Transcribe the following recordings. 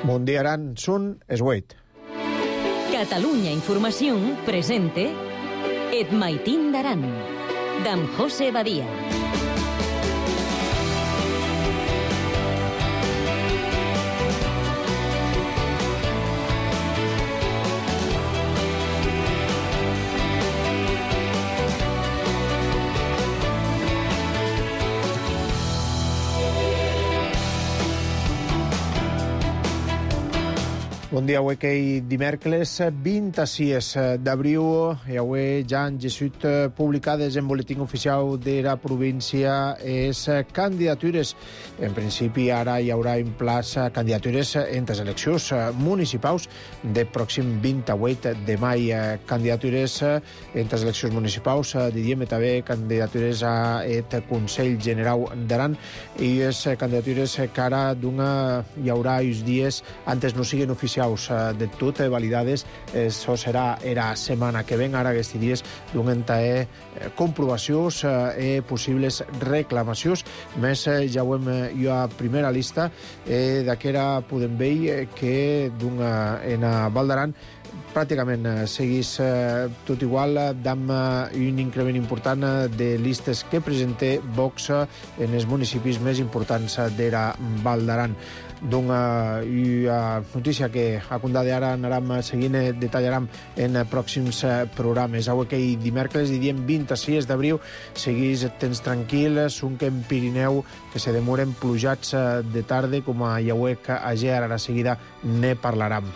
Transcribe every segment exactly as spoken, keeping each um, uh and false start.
Mundiaran sun esgueit. Catalunya Informació presente Et Maitín d'Aran, d'en José Badia. Bon dia, avui que dimèrcoles vint-i-sis d'abril i avui ja han gesut publicades en boletín oficial de la província les candidatures. En principi ara hi haurà en plaça candidatures entre les eleccions municipals de pròxim vint-i-vuit de mai. Candidatures entre les eleccions municipals, diríem també candidatures a el Consell General d'Aran i les candidatures que ara hi haurà uns dies antes no siguin oficials de tot validades. Això serà la setmana que ven, ara aquests dies donen també comprovacions i possibles reclamacions. Més ja ho hem jo a primera lista d'aquera podem veure que en Val d'Aran pràcticament seguís tot igual, amb un increment important de listes que presenta Vox en els municipis més importants de la Val d'Aran. Una notícia que a compte d'ara anàrem seguint, detallarem en pròxims programes. Avui que dimèrcoles, diríem vint-i-sis d'abril, seguís temps tranquil, un que en Pirineu que se demoren plujats de tarda, com a Iauec a Ger, ara seguida ne parlarem.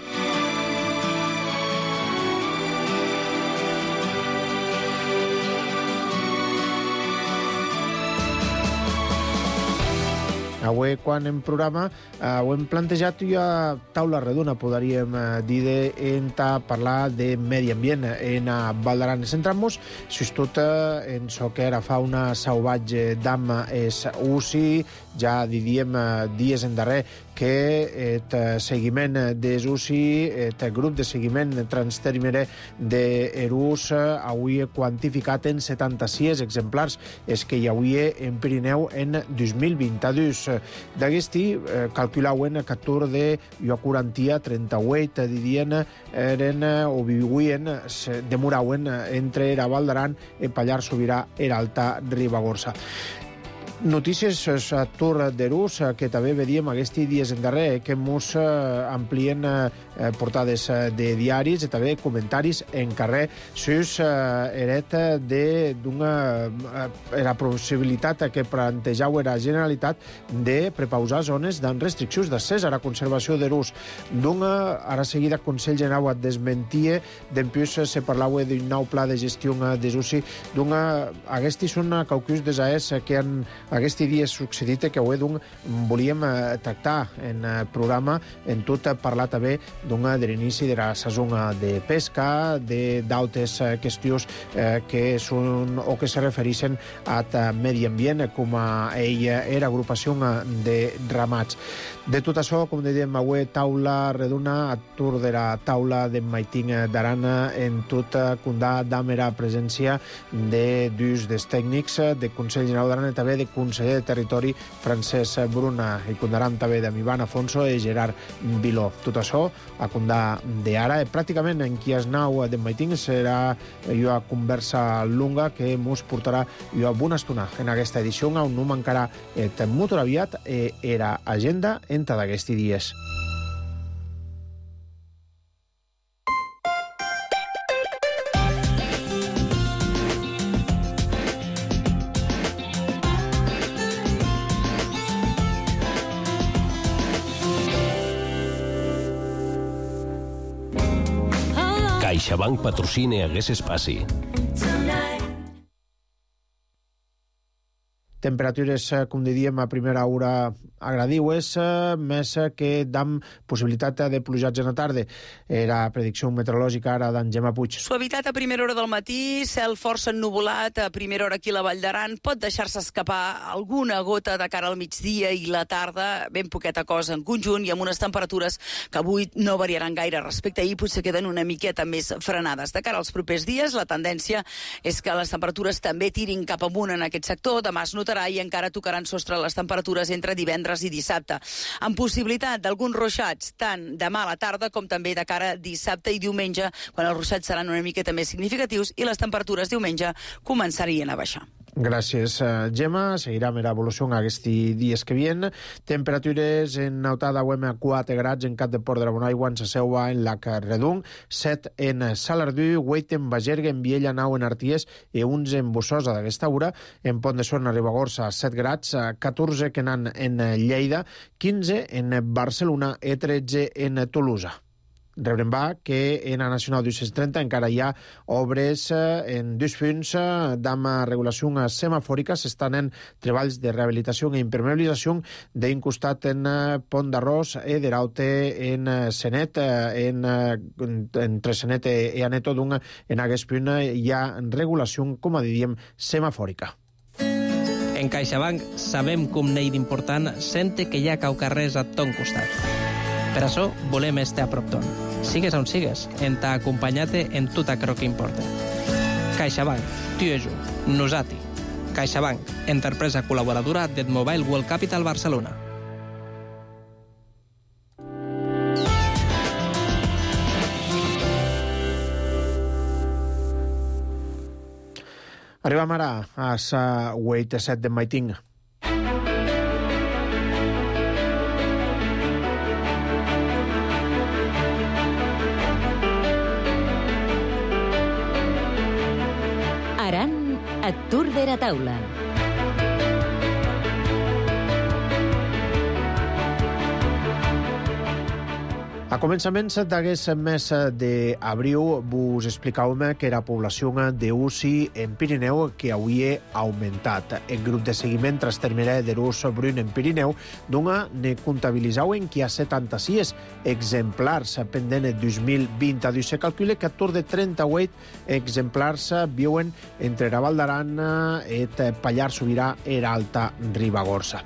Avui, quan en programa, ho hem plantejat i a taula redona, podríem dir, en parlar de medi ambient en Val d'Aran. Centrem-nos, sobretot, en això que era fauna salvatge d'am és U C I, ja diríem dies endarrer que el seguiment des U C I, el grup de seguiment transtermere d'Erús, avui quantificat en setanta-sis exemplars, és que hi havia en Pirineu en dos mil vint-i-dos. D'aquesti, calculaven que atur de quaranta, trenta-vuit, dirien, eren o viuien, demoraven entre la Val d'Aran, el Pallars Sobirà i l'Alta Ribagorça. Notícies a Tur d'Erús, que també veiem aquests dies en darrer, que ens amplien portades de diaris i també comentaris en carrer sus eret d'una la possibilitat que plantejava la Generalitat de prepausar zones amb restriccions d'accés a la conservació d'Erús. D'una, ara seguida, Consell General et desmentia, d'empús se parlava d'un nou pla de gestió des U C I. D'una, aquests són caucus desaers que han aquest dia succeït que avui volíem tractar en programa, en tot parlar també de l'inici de la saison de pesca, d'altres qüestions que són o que se refereixen al medi ambient, com a ella era agrupació de ramats. De tot això, com dèiem, avui taula redona, a tour de la taula de Maitín d'Aran, en tot condà d'amera presència de dos dels tècnics de Consell General d'Aran i també de conseller de Territori Francesc Bruna, i condaran també de Ivan Afonso i Gerard Viló. Tot això a condà d'ara. Pràcticament en qui es nau de Maitín serà una conversa longa que ens portarà una bona estona en aquesta edició, on no mancarà el motor aviat i era agenda entre d'aquests dies. CaixaBank patrocina Hagués Espaci. Temperatures, com diríem, a primera hora agradiues, més que d'am possibilitat de plujats en la tarda. Era predicció meteorològica ara d'en Gemma Puig. Suavitat a primera hora del matí, cel força ennuvolat a primera hora aquí a la Vall d'Aran. Pot deixar-se escapar alguna gota de cara al migdia i la tarda, ben poqueta cosa en conjunt, i amb unes temperatures que avui no variaran gaire respecte a ahir, potser queden una miqueta més frenades. De cara als propers dies, la tendència és que les temperatures també tirin cap amunt en aquest sector. Demà es notarà serà i encara tocaran sostre les temperatures entre divendres i dissabte, amb possibilitat d'alguns ruixats tant demà a la tarda com també de cara a dissabte i diumenge, quan els ruixats seran una miqueta més significatius i les temperatures diumenge començarien a baixar. Gràcies, Gemma. Seguirem l'evolució aquests dies que vienen. Temperatures en Nautada a quatre grads en Cap de Port de la Bonaigua, en Saseua, en Lac Redung, set en Salardú, vuit en Bagerga, en Viella, nou en Arties i onze en Bussosa d'aquesta hora. En Pont de Suert, a Ribagorça, set grads, catorze que anan en Lleida, quinze en Barcelona i tretze en Tolosa. Rebrem va que en la Nacional dos cents trenta encara hi ha obres en dos punts d'ama regulació semafòrica. S'estan en treballs de rehabilitació i impermeabilització d'un costat en Pont d'Arròs i de l'altre en Senet, en, entre Senet i Aneto, d'un en aquest punt hi ha regulació, com a diríem, semafòrica. En CaixaBank sabem com n'hi d'important sente que hi ha caucarrers a ton costat. Per això volem estar a prop ton. Sigues on sigues, en ta acompanyat-te en tot aquello que importa. CaixaBank, tu i jo, nosati. CaixaBank, empresa col·laboradora del Mobile World Capital Barcelona. Arribem ara a la vuit set de Maiting. Aran et Tour de la Taula. A començaments d'aquest mes d'abril vos explicàvem que la població d'U C I en Pirineu que havia augmentat. El grup de seguiment transtermirà de l'ús brun en Pirineu d'una ne comptabilitzaven que hi ha setanta-sis exemplars pendent el dos mil vint-dos. Se calcula que a tour de trenta-vuit exemplars viuen entre la Val d'Aran i el Pallars Sobirà i l'Alta Ribagorça.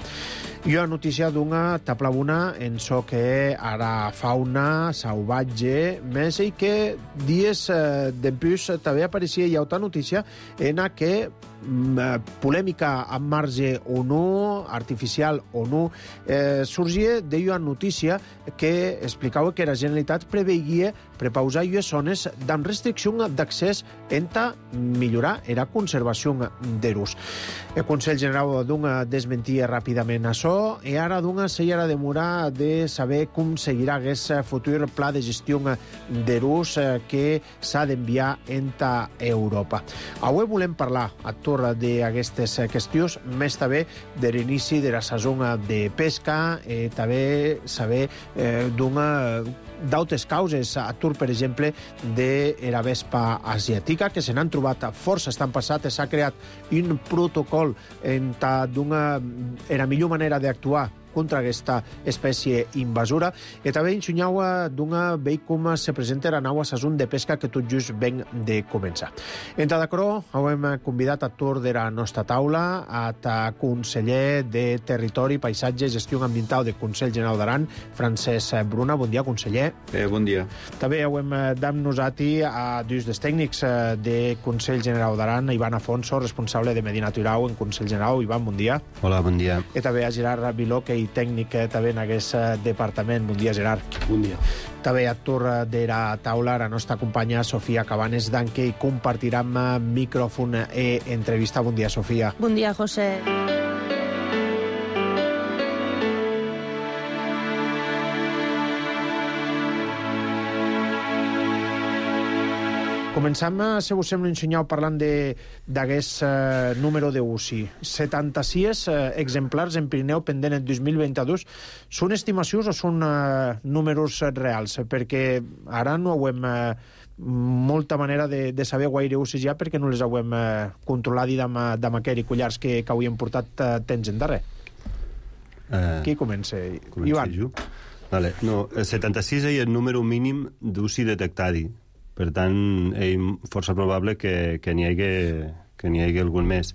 I una notícia d'una taplabuna en so que ara fauna salvatge més i que dies eh, d'empús també apareixia hi ha altra notícia en la que mm, polèmica amb marge o no, artificial o no, eh, sorgia d'una notícia que explicava que la Generalitat preveia prepausar ues zones amb restricció d'accés enta millorar la conservació d'erus. El Consell General d'una desmentia ràpidament això i ara d'una s'ha de demorar de saber com seguirà aquest futur pla de gestió d'erus que s'ha d'enviar enta Europa. Avui volem parlar a torn d'aquestes qüestions, més també de l'inici de la sessió de pesca i també saber eh, d'una d'altres causes, a Tour, per exemple, de la vespa asiàtica, que se n'han trobat força estan passat, s'ha creat un protocol en d'una la millor manera d'actuar contra aquesta espècie invasora i també ensenyau d'una veig com se presenta la nau a sessió de pesca que tot just ven de començar. Entra d'acro, hem convidat a Tour de la nostra taula a ta conseller de Territori, Paisatge i Gestió Ambiental del Consell General d'Aran, Francesc Bruna. Bon dia, conseller. Eh, bon dia. També hem d'am nosati a dos dels tècnics del Consell General d'Aran, Ivan Afonso, responsable de Medi Natural en Consell General. Ivan, bon dia. Hola, bon dia. I també a Gerard Viló, que i tècnic també en aquest departament. Bon dia, Gerard. Bon dia. També a torn de la taula la nostra companya Sofia Cabanes d'Anque i compartirem micròfon i entrevista. Bon dia, Sofia. Bon dia, José. Començam, si us sembla, ensenyar parlant d'aquest uh, número d'U C I. setanta-sis uh, exemplars en Pirineu pendent el dos mil vint-dos. Són estimacions o són uh, números reals? Perquè ara no hem uh, molta manera de, de saber guaire U C I ja perquè no les hem uh, controlat de maquer i collars que, que avui hem portat uh, temps en darrer. Uh, Qui comença? Ivan. Jo? Vale. No, setanta-sis és el número mínim d'U C I detectat. Per tant, és força probable que, que n'hi hagi, que n'hi hagi algun més.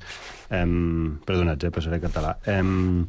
Um, perdonats, eh, passaré a català. Um,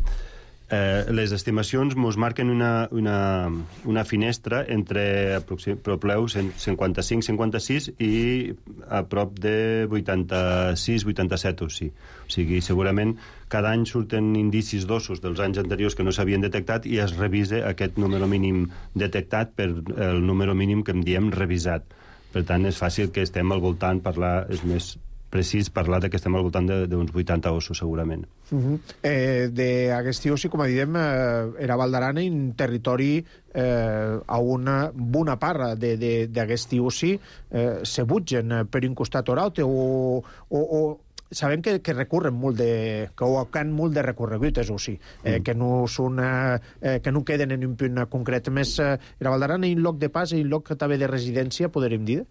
Eh, les estimacions ens marquen una, una, una finestra entre propleus cinquanta-cinc cinquanta-sis i a prop de vuitanta-sis vuitanta-set o sí. O sigui, segurament cada any surten indicis d'ossos dels anys anteriors que no s'havien detectat i es revisa aquest número mínim detectat per el número mínim que en diem revisat. Per tant, és fàcil que estem al voltant, parlar, és més precís parlar que estem al voltant d'uns vuitanta ossos, segurament. Uh -huh. eh, d'aquest oci, com diem, eh, era Val d'Aran un territori eh, a una bona part d'aquest oci eh, se butgen per un costat o l'altre, o, o, o sabem que, que recurren molt de... que ho han molt de recorregut, és oci, eh, mm. que no són... Eh, que no queden en un punt concret. Més, eh, era Val d'Aran un lloc de pas i un lloc també de residència, podríem dir?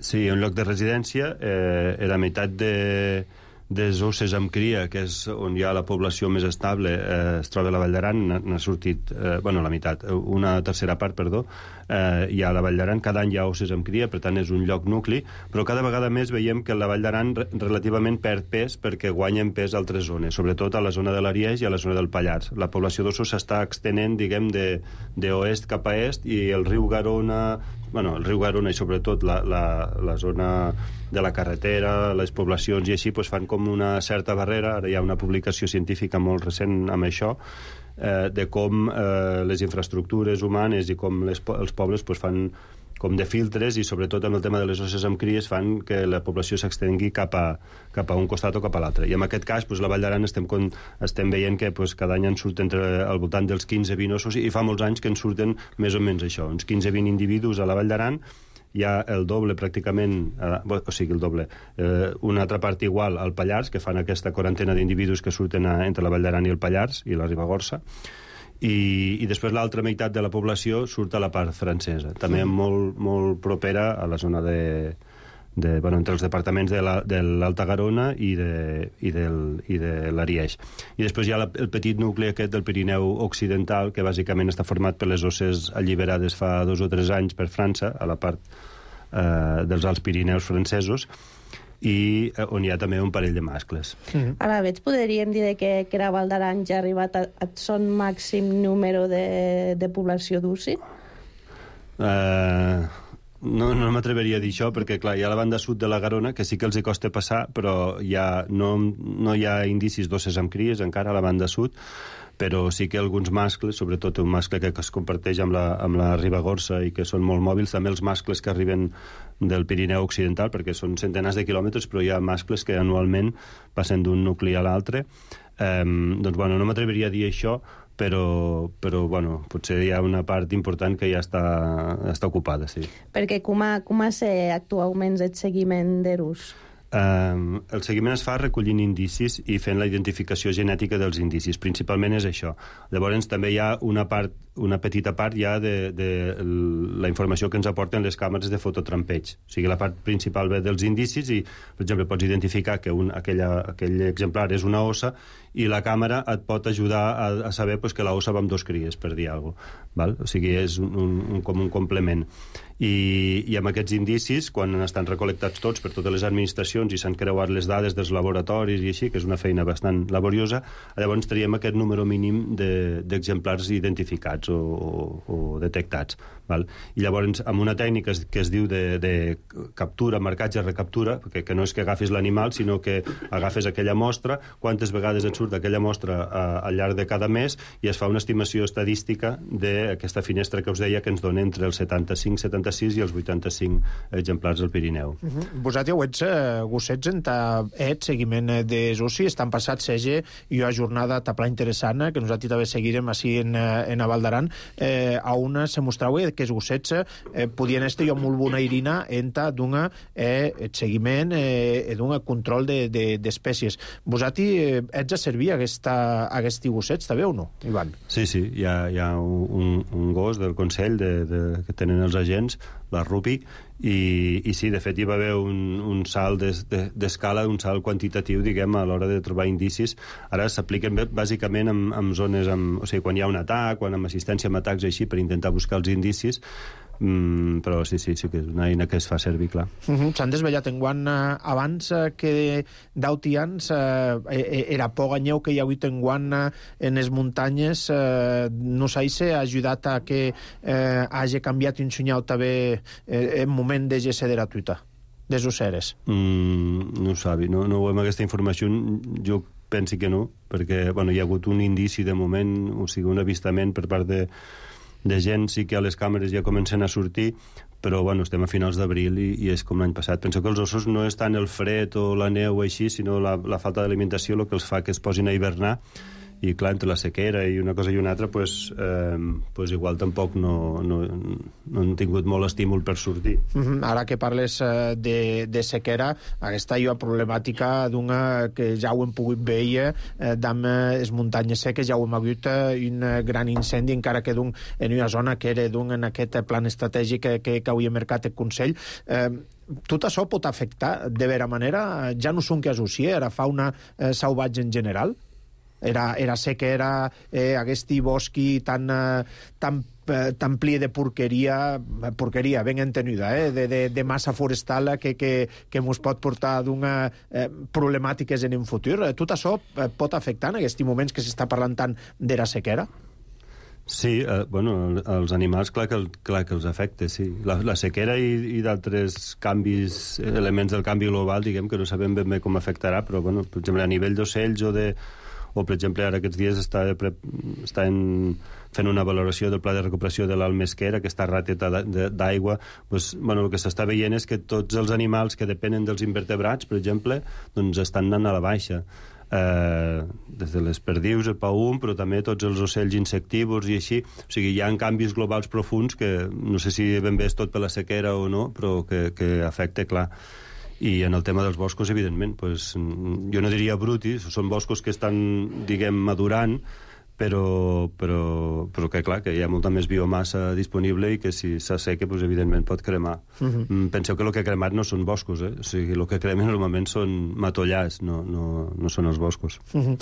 Sí, un lloc de residència, eh, era meitat de, de osses amb cria, que és on hi ha la població més estable, eh, es troba a la Vall d'Aran, n'ha sortit, eh, bueno, la meitat, una tercera part, perdó, eh, hi ha a la Vall d'Aran, cada any hi ha osses amb cria, per tant és un lloc nucli, però cada vegada més veiem que la Vall d'Aran relativament perd pes perquè guanyen pes a altres zones, sobretot a la zona de l'Ariège i a la zona del Pallars. La població d'ossos s'està extenent, diguem, d'oest cap a est, i el riu Garona... bueno, el riu Garona i sobretot la, la, la zona de la carretera, les poblacions i així, pues, fan com una certa barrera. Ara hi ha una publicació científica molt recent amb això, eh, de com eh, les infraestructures humanes i com les, els pobles pues, fan com de filtres, i sobretot amb el tema de les osses amb cries fan que la població s'extengui cap a, cap a un costat o cap a l'altre. I en aquest cas, pues, la Vall d'Aran estem, estem veient que pues, cada any en surten entre, al voltant dels quinze vint ossos, i fa molts anys que en surten més o menys això, uns quinze vint individus a la Vall d'Aran. Hi ha el doble pràcticament, eh, o sigui, el doble, eh, una altra part igual al Pallars, que fan aquesta quarantena d'individus que surten a, entre la Vall d'Aran i el Pallars i la Ribagorça. I, i després l'altra meitat de la població surt a la part francesa, també molt, molt propera a la zona de, de, bueno, entre els departaments de l'Alta Garona i de, i del, i de l'Ariège. I després hi ha la, el petit nucli aquest del Pirineu Occidental, que bàsicament està format per les osses alliberades fa dos o tres anys per França, a la part eh, dels Alts Pirineus francesos, i on hi ha també un parell de mascles. Mm. Ara veig, podríem dir que, que la Val d'Aran ja ha arribat a, a son màxim número de, de població d'oci? Uh, no no m'atreveria a dir això, perquè clar, hi ha la banda sud de la Garona, que sí que els hi costa passar, però hi ha, no, no hi ha indicis d'osses amb cries encara a la banda sud, però sí que alguns mascles, sobretot un mascle que es comparteix amb la, amb la Ribagorça i que són molt mòbils, també els mascles que arriben del Pirineu Occidental, perquè són centenars de quilòmetres, però hi ha mascles que anualment passen d'un nucli a l'altre. Eh, doncs, bueno, no m'atreveria a dir això, però, però bueno, potser hi ha una part important que ja està, està ocupada, sí. Perquè com a, com a ser actualment el seguiment d'Erus? Uh, el seguiment es fa recollint indicis i fent la identificació genètica dels indicis. Principalment és això. Llavors també hi ha una part, una petita part ja de, de la informació que ens aporten les càmeres de fototrampeig. O sigui, la part principal ve dels indicis i, per exemple, pots identificar que un, aquella, aquell exemplar és una ossa i la càmera et pot ajudar a, a saber pues, que la ossa va amb dos cries, per dir alguna cosa. Val? O sigui, és un, un, un, com un complement. I, i amb aquests indicis, quan estan recol·lectats tots per totes les administracions i s'han creuat les dades dels laboratoris i així, que és una feina bastant laboriosa, llavors traiem aquest número mínim d'exemplars de, identificats o, o, o detectats. Val? I llavors, amb una tècnica que es diu de, de captura, marcatge, recaptura, que, que no és que agafis l'animal, sinó que agafes aquella mostra, quantes vegades et surt aquella mostra a, al llarg de cada mes, i es fa una estimació estadística d'aquesta finestra que us deia, que ens dona entre els setanta-cinc setanta-sis i els vuitanta-cinc exemplars del Pirineu. Uh -huh. Vosaltres ho ets, eh, gossets, en ta et seguiment de Sussi, estan passat sege i una jornada tapla interessant, que nosaltres també seguirem així en, en a Val d'Aran, eh, a una se mostrava que els gossets eh, podien estar jo molt bona irina en ta d'un eh, seguiment eh, d'un control d'espècies. De, de, vosaltres eh, ets a servir aquesta, aquests gossets, també o no, Ivan? Sí, sí, hi ha, hi ha un, un gos del Consell de, de, que tenen els agents, la Rupi, i, i sí, de fet hi va haver un, un salt d'escala, un salt quantitatiu, diguem, a l'hora de trobar indicis. Ara s'apliquen bàsicament en, en zones, amb, o sigui, quan hi ha un atac, quan amb assistència amb atacs així, per intentar buscar els indicis, Mm, però sí, sí, sí que és una eina que es fa servir, clar. Uh -huh. S'han desvellat en guant eh, abans eh, que d'autians eh, era por ganyeu que hi ha hagut en guant eh, en les muntanyes eh, no sé si ha ajudat a que eh, hagi canviat un senyal també eh, en moment de G C de gratuïta des d'Oceres. Mm, no ho sabi, no, no ho hem aquesta informació, jo penso que no, perquè bueno, hi ha hagut un indici de moment, o sigui, un avistament per part de de gent, sí que a les càmeres ja comencen a sortir, però bueno, estem a finals d'abril i, i és com l'any passat. Penso que els ossos no és tant el fred o la neu o així, sinó la, la falta d'alimentació el que els fa que es posin a hivernar, i clar, entre la sequera i una cosa i una altra, pues, eh, pues igual tampoc no, no, no han tingut molt estímul per sortir. Mm-hmm. Ara que parles eh, de, de sequera, aquesta hi ha problemàtica d'una que ja ho hem pogut veure eh, d'amb les muntanyes seques, ja ho hem hagut eh, un gran incendi, encara que d'un, en una zona que era d'un en aquest plan estratègic que, que, que havia marcat el Consell. Eh, tot això pot afectar de vera manera? Ja no són que associa, era fauna eh, salvatge en general? Era, era sequera, eh, aquest bosqui tan, eh, tan, eh, tan ple de porqueria, porqueria ben entenuda, eh, de, de, de massa forestal que, que, que ens pot portar d'una eh, problemàtiques en un futur. Tot això eh, pot afectar en aquests moments que s'està parlant tant de la sequera? Sí, eh, bueno, els animals clar que, clar que els afecta, sí. La, la sequera i, i d'altres canvis, elements del canvi global, diguem que no sabem ben bé com afectarà, però, bueno, per exemple, a nivell d'ocells o de o, per exemple, ara aquests dies està, està en, fent una valoració del pla de recuperació de l'alt Mesquera, aquesta rateta d'aigua. Pues, bueno, el que s'està veient és que tots els animals que depenen dels invertebrats, per exemple, doncs estan anant a la baixa. Eh, des de les perdius, el paum, però també tots els ocells insectívors i així. O sigui, hi ha canvis globals profuns que no sé si ben bé és tot per la sequera o no, però que, que afecta, clar. I en el tema dels boscos, evidentment, pues, jo no diria brutis, són boscos que estan, diguem, madurant, però, però, però que, clar, que hi ha molta més biomassa disponible i que si s'asseca, pues, evidentment, pot cremar. Uh-huh. Penseu que el que ha cremat no són boscos, eh? O sigui, el que cremen normalment són matollars, no, no, no són els boscos. Uh-huh.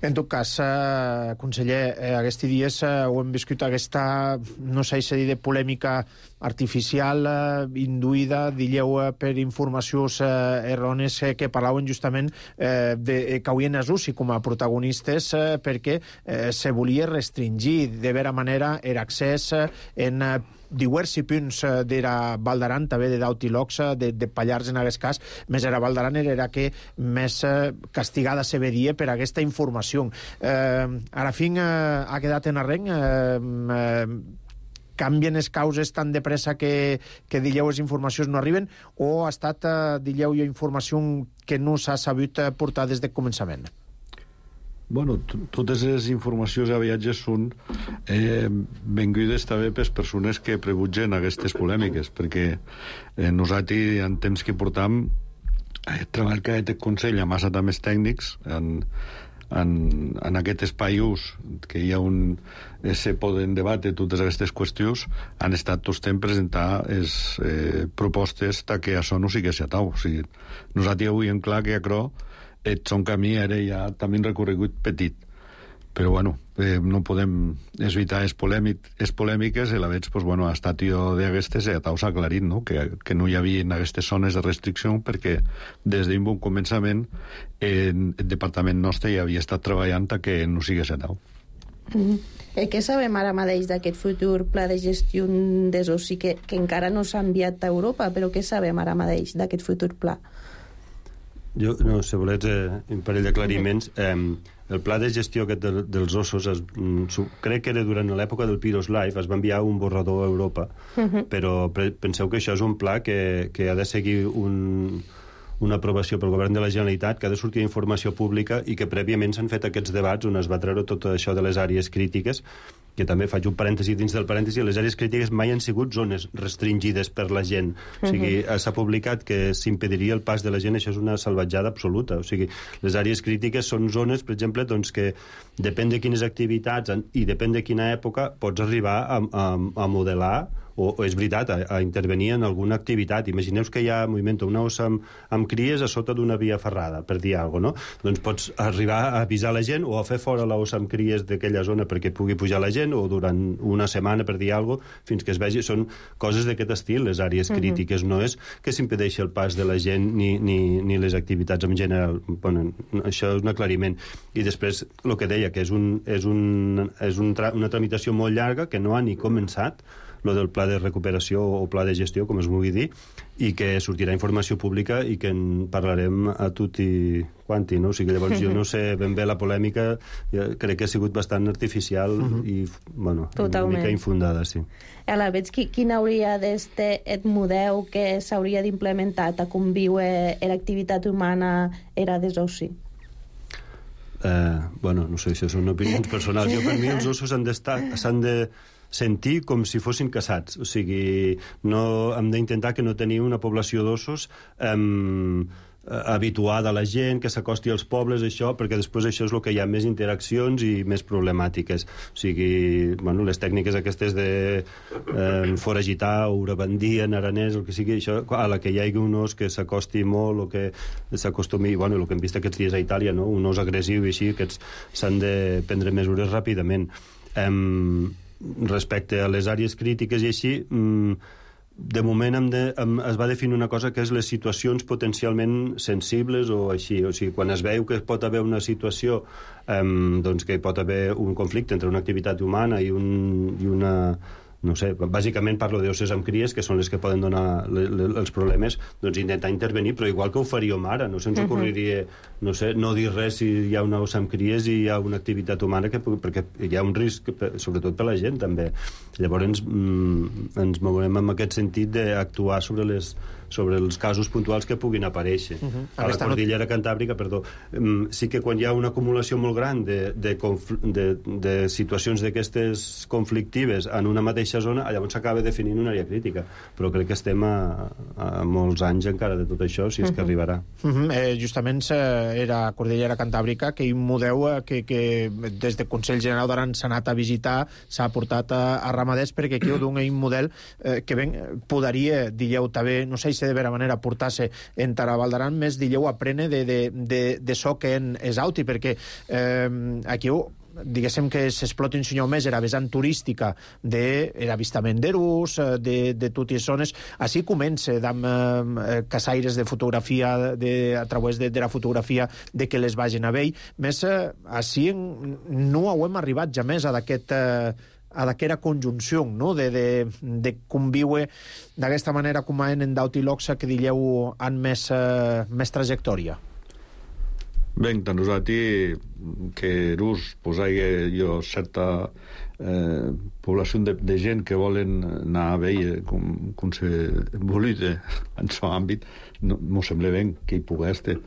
En tot cas, eh, conseller, eh, aquests dies eh, ho hem viscut aquesta, no sé si dir de polèmica artificial, eh, induïda, dilleu, eh, per informacions eh, errònies eh, que parlaven justament eh, de, que havien els UCI com a protagonistes eh, perquè eh, se volia restringir de vera manera l'accés en eh, diversos punts de la Val d'Aran, també de Daut i Lox, de, de Pallars en aquest cas, més era Val d'Aran era que més eh, castigada se veria per aquesta informació. Eh, ara fin eh, ha quedat en arrenc, eh, eh, canvien les causes tan de pressa que, que dilleu les informacions no arriben, o ha estat, eh, dilleu, informació que no s'ha sabut portar des del començament? Bueno, totes les informacions a viatges són eh, vengudes també per persones que prebutgen aquestes polèmiques, perquè eh, nosaltres en temps que portam eh, treball que aquest Consell amb massa també tècnics en, en, en aquest espai ús que hi ha un eh, se poden debatre totes aquestes qüestions, han estat tots temps presentar les eh, propostes que això no sigui atau. O sigui, nosaltres avui en clar que acro ets un camí era ja també un recorregut petit, però bueno, eh, no podem evitar les polèmic, polèmiques i la veig, pues, bueno, ha estat jo d'aquestes i s'ha aclarit, no? que, que no hi havia en aquestes zones de restricció perquè des d'un bon començament eh, el departament nostre ja havia estat treballant a que no sigués atau. Mm-hmm. Eh, què sabem ara mateix d'aquest futur pla de gestió des oci que, que encara no s'ha enviat a Europa, però què sabem ara mateix d'aquest futur pla? Jo, no, si volets, eh, un parell d'aclariments. Eh, el pla de gestió aquest de, dels ossos, es, crec que era durant l'època del Piros Live, es va enviar un borrador a Europa, uh-huh. però pre, penseu que això és un pla que, que ha de seguir un, una aprovació pel govern de la Generalitat, que ha de sortir informació pública i que prèviament s'han fet aquests debats on es va treure tot això de les àrees crítiques, que també faig un parèntesi dins del parèntesi, les àrees crítiques mai han sigut zones restringides per la gent. O sigui, uh-huh. s'ha publicat que s'impediria el pas de la gent, això és una salvatjada absoluta. O sigui, les àrees crítiques són zones, per exemple, doncs, que depèn de quines activitats i depèn de quina època pots arribar a, a, a modelar o, o és veritat, a, a intervenir en alguna activitat. Imagineu que hi ha moviment una ossa amb, amb cries a sota d'una via ferrada, per dir alguna cosa, no? Doncs pots arribar a avisar la gent o a fer fora l'ossa amb cries d'aquella zona perquè pugui pujar la gent, o durant una setmana, per dir alguna cosa, fins que es vegi. Són coses d'aquest estil, les àrees uh-huh. crítiques. No és que s'impedeixi el pas de la gent ni, ni, ni les activitats en general. Bueno, això és un aclariment. I després, el que deia, que és, un, és, un, és un tra una tramitació molt llarga, que no ha ni començat, lo del pla de recuperació o pla de gestió, com es vulgui dir, i que sortirà informació pública i que en parlarem a tutti quanti, no? O sigui, llavors jo no sé ben bé la polèmica, crec que ha sigut bastant artificial uh-huh. i, bueno, Totalment. una mica infundada, sí. Aleshores, quin hauria d'este et model que s'hauria d'implementar a conviure l'activitat humana era des ossi? Eh, bueno, no sé, això són opinions personals. Jo, per mi, els ossos han d'estar, s'han de sentir com si fossin caçats. O sigui, no, hem d'intentar que no tenim una població d'ossos eh, habituada a la gent, que s'acosti als pobles, això, perquè després això és el que hi ha més interaccions i més problemàtiques. O sigui, bueno, les tècniques aquestes de eh, foragitar o urabandir en aranès, el que sigui, això, a la que hi hagi un os que s'acosti molt o que s'acostumi, bueno, el que hem vist aquests dies a Itàlia, no? Un os agressiu i així, aquests s'han de prendre mesures ràpidament. Eh, respecte a les àrees crítiques i així, de moment hem de, hem, es va definir una cosa que és les situacions potencialment sensibles o així, o sigui, quan es veu que pot haver una situació eh, doncs que pot haver un conflicte entre una activitat humana i, un, i una... no sé, bàsicament parlo d'osses amb cries, que són les que poden donar le, le, els problemes, doncs intentar intervenir, però igual que ho faríem ara, no se'ns ocorriria, no sé, no dir res si hi ha una ossa amb cries i hi ha una activitat humana, que, perquè hi ha un risc, sobretot per la gent, també. Llavors ens, mm, ens mourem en aquest sentit d'actuar sobre les sobre els casos puntuals que puguin aparèixer. Uh-huh. A la Cordillera Cantàbrica, perdó, um, sí que quan hi ha una acumulació molt gran de, de, de, de situacions d'aquestes conflictives en una mateixa zona, llavors s'acaba definint una àrea crítica. Però crec que estem a, a molts anys encara de tot això, si és uh-huh. que arribarà. Uh-huh. eh, justament era Cordillera Cantàbrica, que un model que, que des del Consell General d'Aran s'ha anat a visitar, s'ha portat a, a ramaders, perquè aquí ho dona un model eh, que ben podria, digueu també, no sé si de vera manera portar-se en Taraval d'Aran, més digueu aprene de, de, de, de so que en Esauti, perquè eh, aquí ho diguéssim que s'explota un senyor més era vessant turística de l'avistament d'erus, de, de totes les zones. Així comença amb eh, caçaires de fotografia de, a través de, de la fotografia de que les vagin a veure. Més eh, així no ho hem arribat ja més a d'aquest eh, a d'aquesta conjunció, no? de, de, de conviure d'aquesta manera com en en Dauti Loxa, que dieu han més, eh, més trajectòria. Bé, tant nosaltres que Erús pues, hi ha jo, certa eh, població de, de gent que volen anar a veure com, com se volita en seu àmbit, no, no sembla bé que hi pugui estar.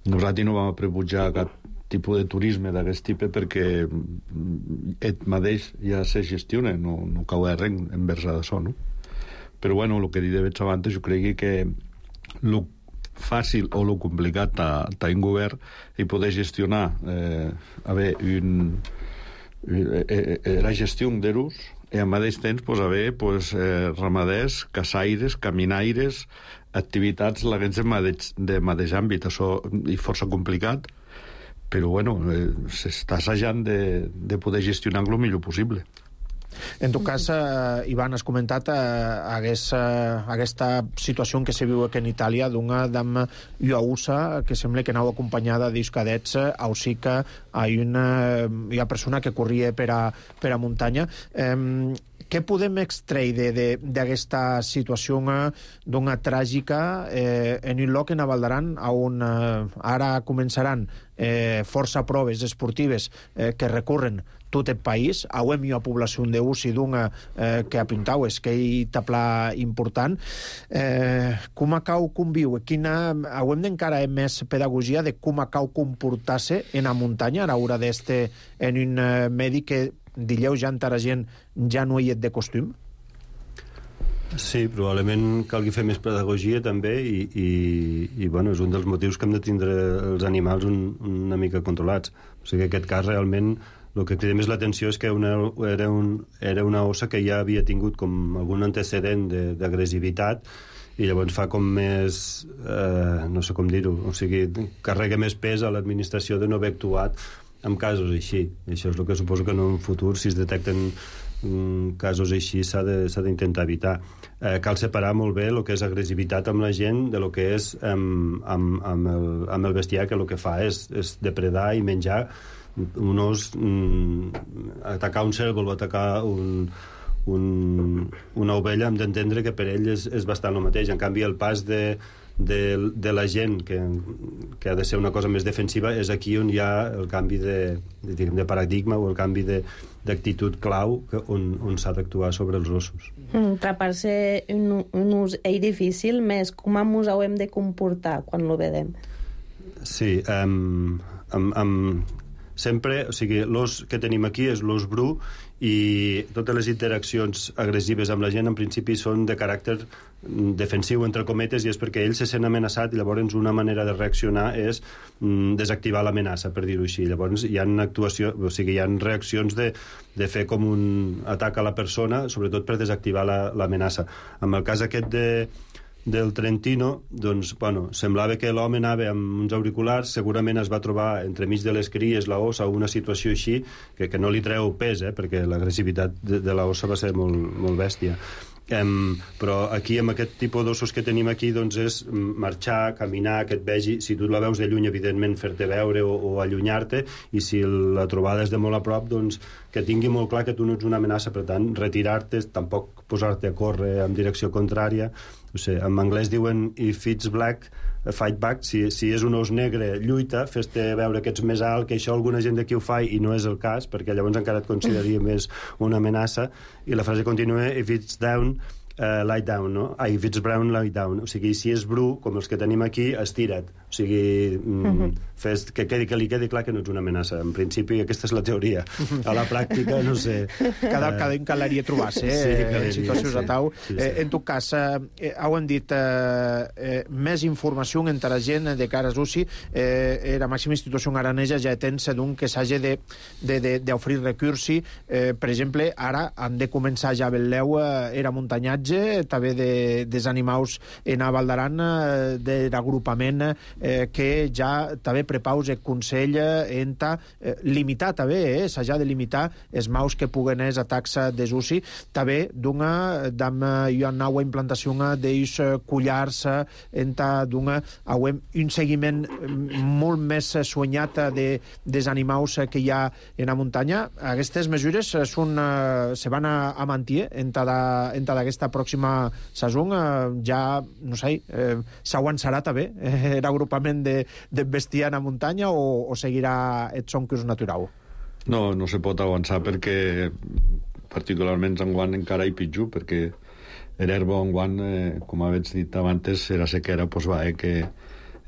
Nosaltres no vam rebutjar cap tipus de turisme d'aquest tipus perquè et mateix ja se gestiona, no, no cau res envers d'això, no? Però bueno, el que he dit abans, jo crec que el fàcil o el complicat a un govern i poder gestionar eh, a veure, un, eh, eh, la gestió d'erus i al mateix temps pues, haver pues, eh, ramaders, caçaires, caminaires, activitats de mateix, de mateix àmbit. Això és força complicat, però bueno, eh, s'està assajant de, de poder gestionar-lo el millor possible. En tot cas, eh, Ivan, has comentat eh, hagués, eh, aquesta situació que se viu aquí en Itàlia d'una dama lluausa que sembla que anava acompanyada d'ells cadets, eh, així que hi ha una, hi ha persona que corria per a, per a muntanya. Eh, què podem extreure d'aquesta situació d'una tràgica eh, en un lloc en Val d'Aran on eh, ara començaran eh, força proves esportives eh, que recorren tot el país, hauem una població d'ús i d'una eh, que apuntaues, que hi tapla important. Eh, com acau conviu? Quina, hauem d'encara més pedagogia de com acau comportar-se en la muntanya a l'hora d'este en un eh, medi que, dilleu, ja encara gent ja no hi és de costum? Sí, probablement calgui fer més pedagogia també i, i, i bueno, és un dels motius que hem de tindre els animals un, una mica controlats. O sigui, en aquest cas realment el que crida més l'atenció és que una, era, un, era una ossa que ja havia tingut com algun antecedent d'agressivitat i llavors fa com més, eh, no sé com dir-ho, o sigui, carrega més pes a l'administració de no haver actuat en casos així. I això és el que suposo que en un futur, si es detecten mm, casos així, s'ha d'intentar evitar. Eh, cal separar molt bé el que és agressivitat amb la gent de lo que és amb, amb, amb, el, amb el bestiar, que el que fa és, és depredar i menjar un os, mm, atacar un cérvol o atacar un, un, una ovella, hem d'entendre que per ell és, és bastant el mateix. En canvi, el pas de, de, de la gent, que, que ha de ser una cosa més defensiva, és aquí on hi ha el canvi de, de, de paradigma o el canvi d'actitud clau que, on, on s'ha d'actuar sobre els ossos. Mm, Trapar-se un, un ús és difícil, més com ens ho hem de comportar quan lo vedem? Sí, um, amb... amb sempre, o sigui, l'os que tenim aquí és l'os bru i totes les interaccions agressives amb la gent en principi són de caràcter defensiu, entre cometes, i és perquè ell se sent amenaçat i llavors una manera de reaccionar és mm, desactivar l'amenaça, per dir-ho així. Llavors hi ha actuació, o sigui, hi ha reaccions de, de fer com un atac a la persona, sobretot per desactivar l'amenaça. En el cas aquest de del Trentino, doncs, bueno, semblava que l'home anava amb uns auriculars, segurament es va trobar entremig de les cries la ossa o una situació així, que, que no li treu pes, eh, perquè l'agressivitat de, de la ossa va ser molt, molt bèstia. Um, però aquí, amb aquest tipus d'ossos que tenim aquí, doncs és marxar, caminar, que et vegi, si tu la veus de lluny, evidentment fer-te veure o, o allunyar-te, i si la trobada és de molt a prop, doncs que tingui molt clar que tu no ets una amenaça, per tant, retirar-te, tampoc posar-te a córrer en direcció contrària. No sé, en anglès diuen if it's black, fight back. Si, si és un os negre, lluita, fes-te veure que ets més alt, que això alguna gent d'aquí ho fa i no és el cas, perquè llavors encara et consideraria més una amenaça. I la frase continua, if it's down, uh, lie down, no? Ah, if it's brown, lie down. O sigui, si és bru, com els que tenim aquí, estira't. O sigui, mm, fes, que, quedi, que li quedi clar que no ets una amenaça. En principi, aquesta és la teoria. A la pràctica, no sé. Cada, eh... cada un calaria trobar-se, eh, sí, en situacions sí. a tau. Sí, sí. Eh, en tot cas, eh, heu dit eh, eh, més informació entre la gent de cara a Susi. Eh, la màxima institució aranesa ja tens d'un que s'hagi d'oferir recursi. Eh, per exemple, ara han de començar ja vetleu eh, era muntanyatge, també de, dels animals en a Val d'Aran, eh, de l'agrupament eh, que ja també prepaus el Consell enta eh, limitar també, eh, s'ha de limitar els maus que puguen és a taxa de Susi, també d'una d'am hi ha una implantació d'ells collars enta d'una un seguiment molt més soanyat de, dels animals que hi ha en la muntanya. Aquestes mesures són, se van a, a mantenir enta d'aquesta pròxima saison, ja, no sé, eh, s'aguançarà també eh, l'agrupament de, de bestiar a muntanya o, o seguirà el soncurs natural? No, no se pot avançar perquè particularment enguany encara hi pitjor, perquè l'herba enguany, eh, com havets dit abans, era sequera, doncs va, eh, que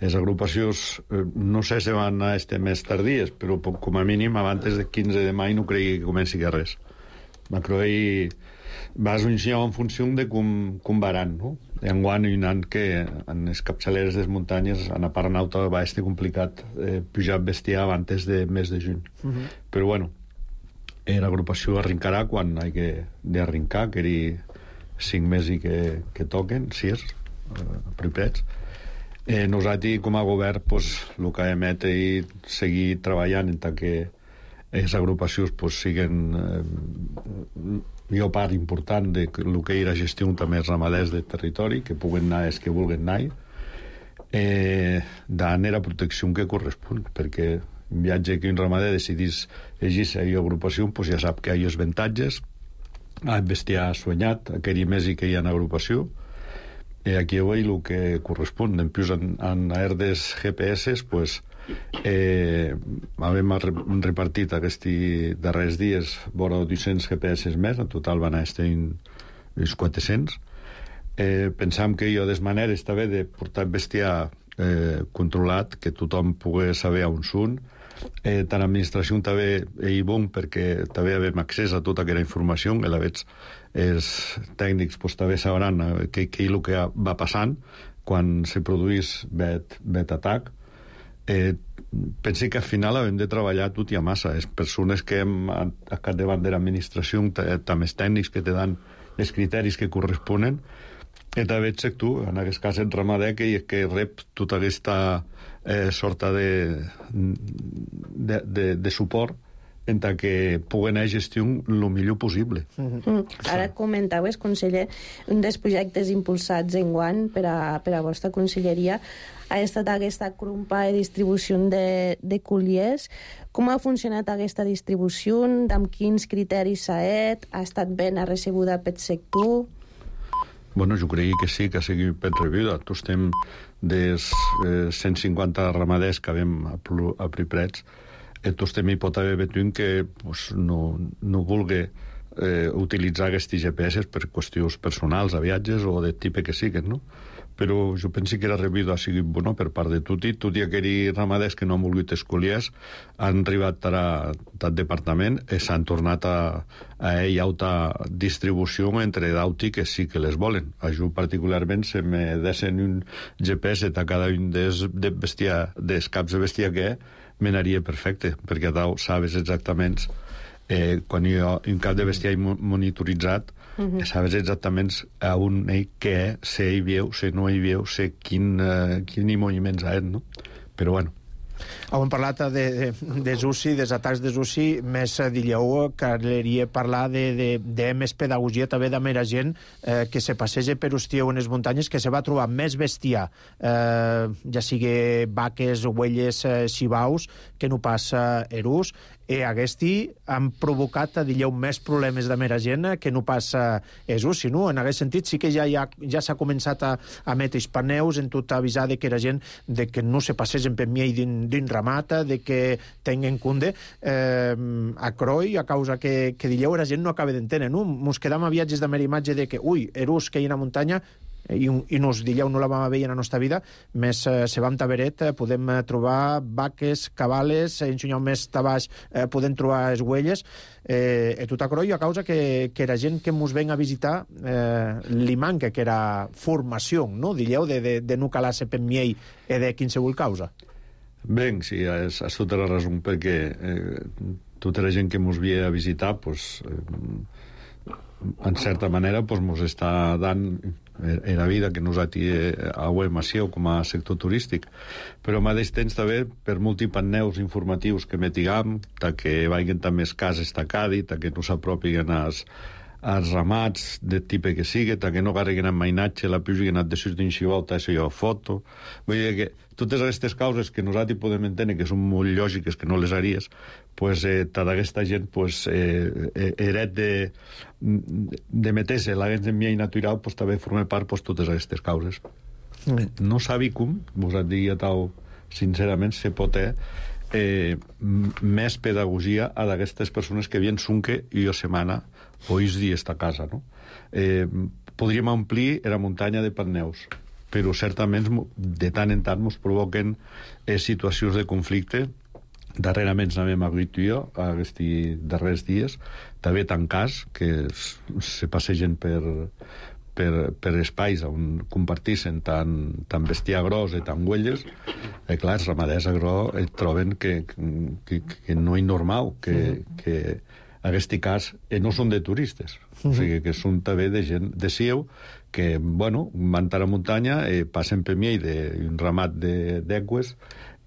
les agrupacions, eh, no sé si van a este mes tardies, però com a mínim abans del quinze de maig no cregui que comenci que res. M'acroei vas ensenyar en funció de com, com varan, no? Enguany hi ha que en les capçaleres de les muntanyes en la part nauta va estar complicat eh, pujar bestiar abans de mes de juny. Uh -huh. Però bueno, l'agrupació arrencarà quan hi ha d'arrencar, que hi cinc mesos que, que toquen, sis, eh, propers. Eh, nosaltres, com a govern, pues, el que hem de és seguir treballant en tant que les agrupacions pues, siguen eh, una part important de lo que era gestió també els ramaders del territori, que puguen anar els que vulguin anar, eh, dan la protecció que correspon, perquè un viatge que un ramader decidís llegir-se a una agrupació, pues ja sap que hi ha els avantatges, ha bestiar soanyat, aquell mes que hi ha en agrupació, i aquí ho veig el que correspon. En plus, en, en herdes G P S, pues, eh, hem repartit aquests darrers dies vora dos-cents G P S més, en total van estar uns quatre-cents. Eh, pensam que hi ha des maneres també de portar bestiar eh, controlat, que tothom pugui saber on són. Eh, tant l'administració també és bon perquè també hem accés a tota aquella informació, que la veig els tècnics pues, també sabran què és el que va passant quan se produís bet, bet atac. Eh, pense que al final hem de treballar tot i a massa. Les persones que hem a capdavant de l'administració, també els tècnics que te dan els criteris que corresponen, i també ets tu, en aquest cas el ramader, que, que rep tota aquesta eh, sorta de, de, de, de suport en tant que puguen gestionar el millor possible. Mm. Ara comentaves, conseller, un dels projectes impulsats en guany per a, per a vostra conselleria ha estat aquesta crumpa de distribució de, de colliers. Com ha funcionat aquesta distribució? Amb quins criteris s'ha fet? Ha estat ben recebuda pel sector? Bueno, jo crec que sí, que ha sigut ben rebuda. Tu estem dels eh, cent cinquanta ramaders que vam a, a Priprets, i tu estem hi pot haver veient que pues, no, no vulgui eh, utilitzar aquests G P S per qüestions personals, a viatges o de tipus que siguin, no? Però jo penso que la rebuda ha sigut bona per part de tot i tot i aquells ramaders que no han volgut escolliers han arribat al departament i s'han tornat a, a ell alta distribució entre d'auti que sí que les volen. A jo particularment se me desen un G P S a cada un dels, de bestiar, dels caps de bestiar que me n'aria perfecte, perquè tu sabes exactament eh, quan hi ha un cap de bestiar monitoritzat, uh-huh. sabes exactament a on ell què, si hi veu, si no hi veu, si quin, uh, quin moviments ha, no? Però bueno. Hem parlat de, de, de Zusi, dels atacs de Zusi, més dilleu que caldria parlar de, de, de més pedagogia també de mera gent eh, que se passeja per Hostieu en les muntanyes, que se va trobar més bestiar, eh, ja sigui vaques, ovelles, eh, xivaus, que no passa erús, i aquesti han provocat, dilleu, més problemes de mera gent que no passa Jesús, si no? En aquest sentit sí que ja, ja, ja s'ha començat a, a metre els paneus en tot avisar de que la gent de que no se passegen per miei din ramata, de que tenguen cunde eh, a Croi, a causa que, que dilleu la gent no acaba d'entendre, no? Mos quedam a viatges de mera imatge de que, ui, erús que hi ha a muntanya, i, i nos dilleu no la vam veure en la nostra vida, més eh, se vam taberet, eh, podem eh, trobar vaques, cabales, en xunyau més tabaix eh, podem trobar les huelles, eh, i tot a Croi a causa que, que la gent que mos ven a visitar eh, li manca que era formació, no? Dilleu de, de, de no calar-se per miei i de qualsevol causa. Ben, sí, has, has tota la raó, perquè eh, tota la gent que mos ve a visitar, pues, eh, en certa manera, pues, mos està dant en la vida que nosaltres auem així com a sector turístic, però al mateix temps també per multipanneus informatius que metigam, que vagin també les cases tacadi, que no s'apropien als, als ramats de tipus que sigui, que no carreguen amb mainatge, la pius que han de sortir en xivolta, això jo foto. Vull dir que totes aquestes causes que nosaltres podem entendre que són molt lògiques, que no les haries, pues, eh, tota aquesta gent pues, eh, heret de, de meter-se la gent en miei natural, pues, també forma part pues, totes aquestes causes. Mm. No sabi com, vos et diria tal, sincerament, se pot eh, eh, més pedagogia a d'aquestes persones que vien sunque i o setmana o is dies a casa, no? Eh, podríem omplir la muntanya de panneus, però certament de tant en tant ens provoquen eh, situacions de conflicte. Darrerament n'hem hagut jo aquests darrers dies, també tancats, que se passegen per, per, per espais on compartissin tant, tant bestiar gros i tant huelles, i clar, els ramaders agro et troben que, que, que no és normal, que, que aquest cas eh, no són de turistes, o sigui que són també de gent de Sieu, que, bueno, van a la muntanya, eh, passen per mi d'un ramat d'eques,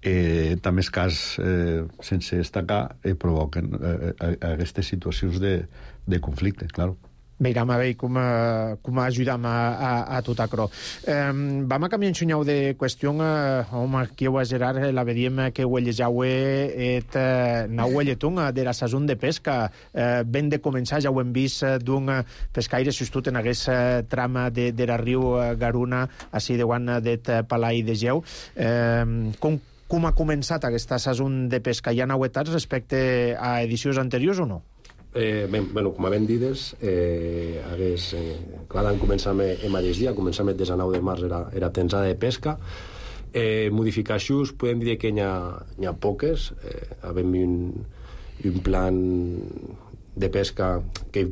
eh, també els cas eh, sense destacar eh, provoquen eh, aquestes situacions de, de conflicte, clar. Veurem a veure com, uh, com ajudam a, a, a tot això. Um, vam a canviar en xunyau de qüestió, uh, home, aquí ho a Gerard, la veiem que huellejaue et uh, na huelletun de la sazón de pesca. Uh, ben de començar, ja ho hem vist, uh, d'un uh, pescaire sustut en aquest uh, trama de, de la riu uh, Garuna, així de guant d'et uh, Palai de Geu. Uh, com, com ha començat aquesta sazón de pesca? Hi ha novetats respecte a edicions anteriors o no? Eh, ben, bueno, com a ben dides, eh, hagués, eh, clar, l'any començam el mateix dia, començam el desanau de març, era, era tensada de pesca. Eh, modificacions, podem dir que n'hi ha, ha poques. Eh, havem un, un plan de pesca que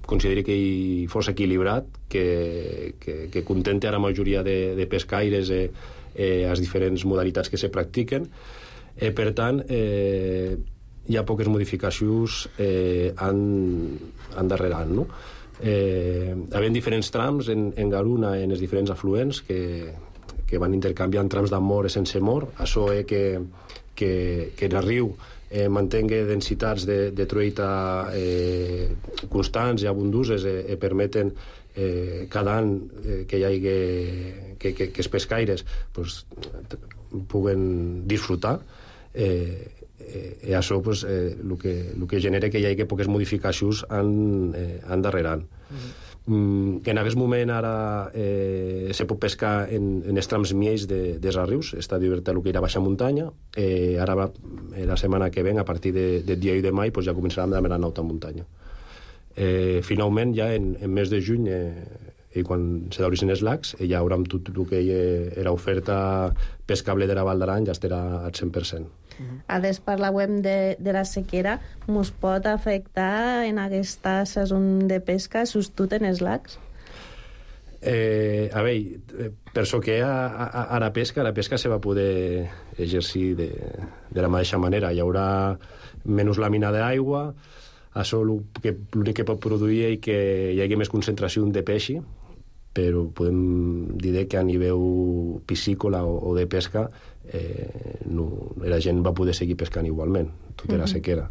consideri que hi fos equilibrat, que, que, que contente a la majoria de, de pescaires eh, eh, les diferents modalitats que se practiquen. Eh, per tant, eh, hi ha poques modificacions eh, en, en darrere any, no? Eh, havent diferents trams en, en Garuna, en els diferents afluents que, que van intercanviant trams d'amor i sense mor. Això és que, que, que el riu eh, mantingui densitats de, de truita eh, constants i abunduses e, eh, permeten eh, cada any eh, que hi hagi que, que, que els pescaires pues, puguen disfrutar. Eh, eh, i això pues, eh, el, que, el que genera que hi hagi poques modificacions en, eh, en darrere any. Mm-hmm. Mm, en aquest moment ara eh, se pot pescar en, en els trams miells de, dels rius, està divertit el que era baixa muntanya. Eh, ara va, la setmana que ven, a partir de, del dia u de maig, pues ja començarem a la alta muntanya. Eh, finalment, ja en, en mes de juny, eh, i quan se d'obrissin els lacs, eh, ja haurem tot el que era oferta pescable de la Val d'Aran, ja estarà al cent per cent. A des parlàvem de, de la sequera, mos pot afectar en aquesta saison de pesca, sobretot en els lacs? Eh, a veure, per això que a, a, a la pesca, la pesca se va poder exercir de, de la mateixa manera. Hi haurà menys làmina d'aigua, això l'únic que pot produir és que hi hagi més concentració de peixi, però podem dir que a nivell piscícola o, o de pesca eh, no, la gent va poder seguir pescant igualment, tot era sequera.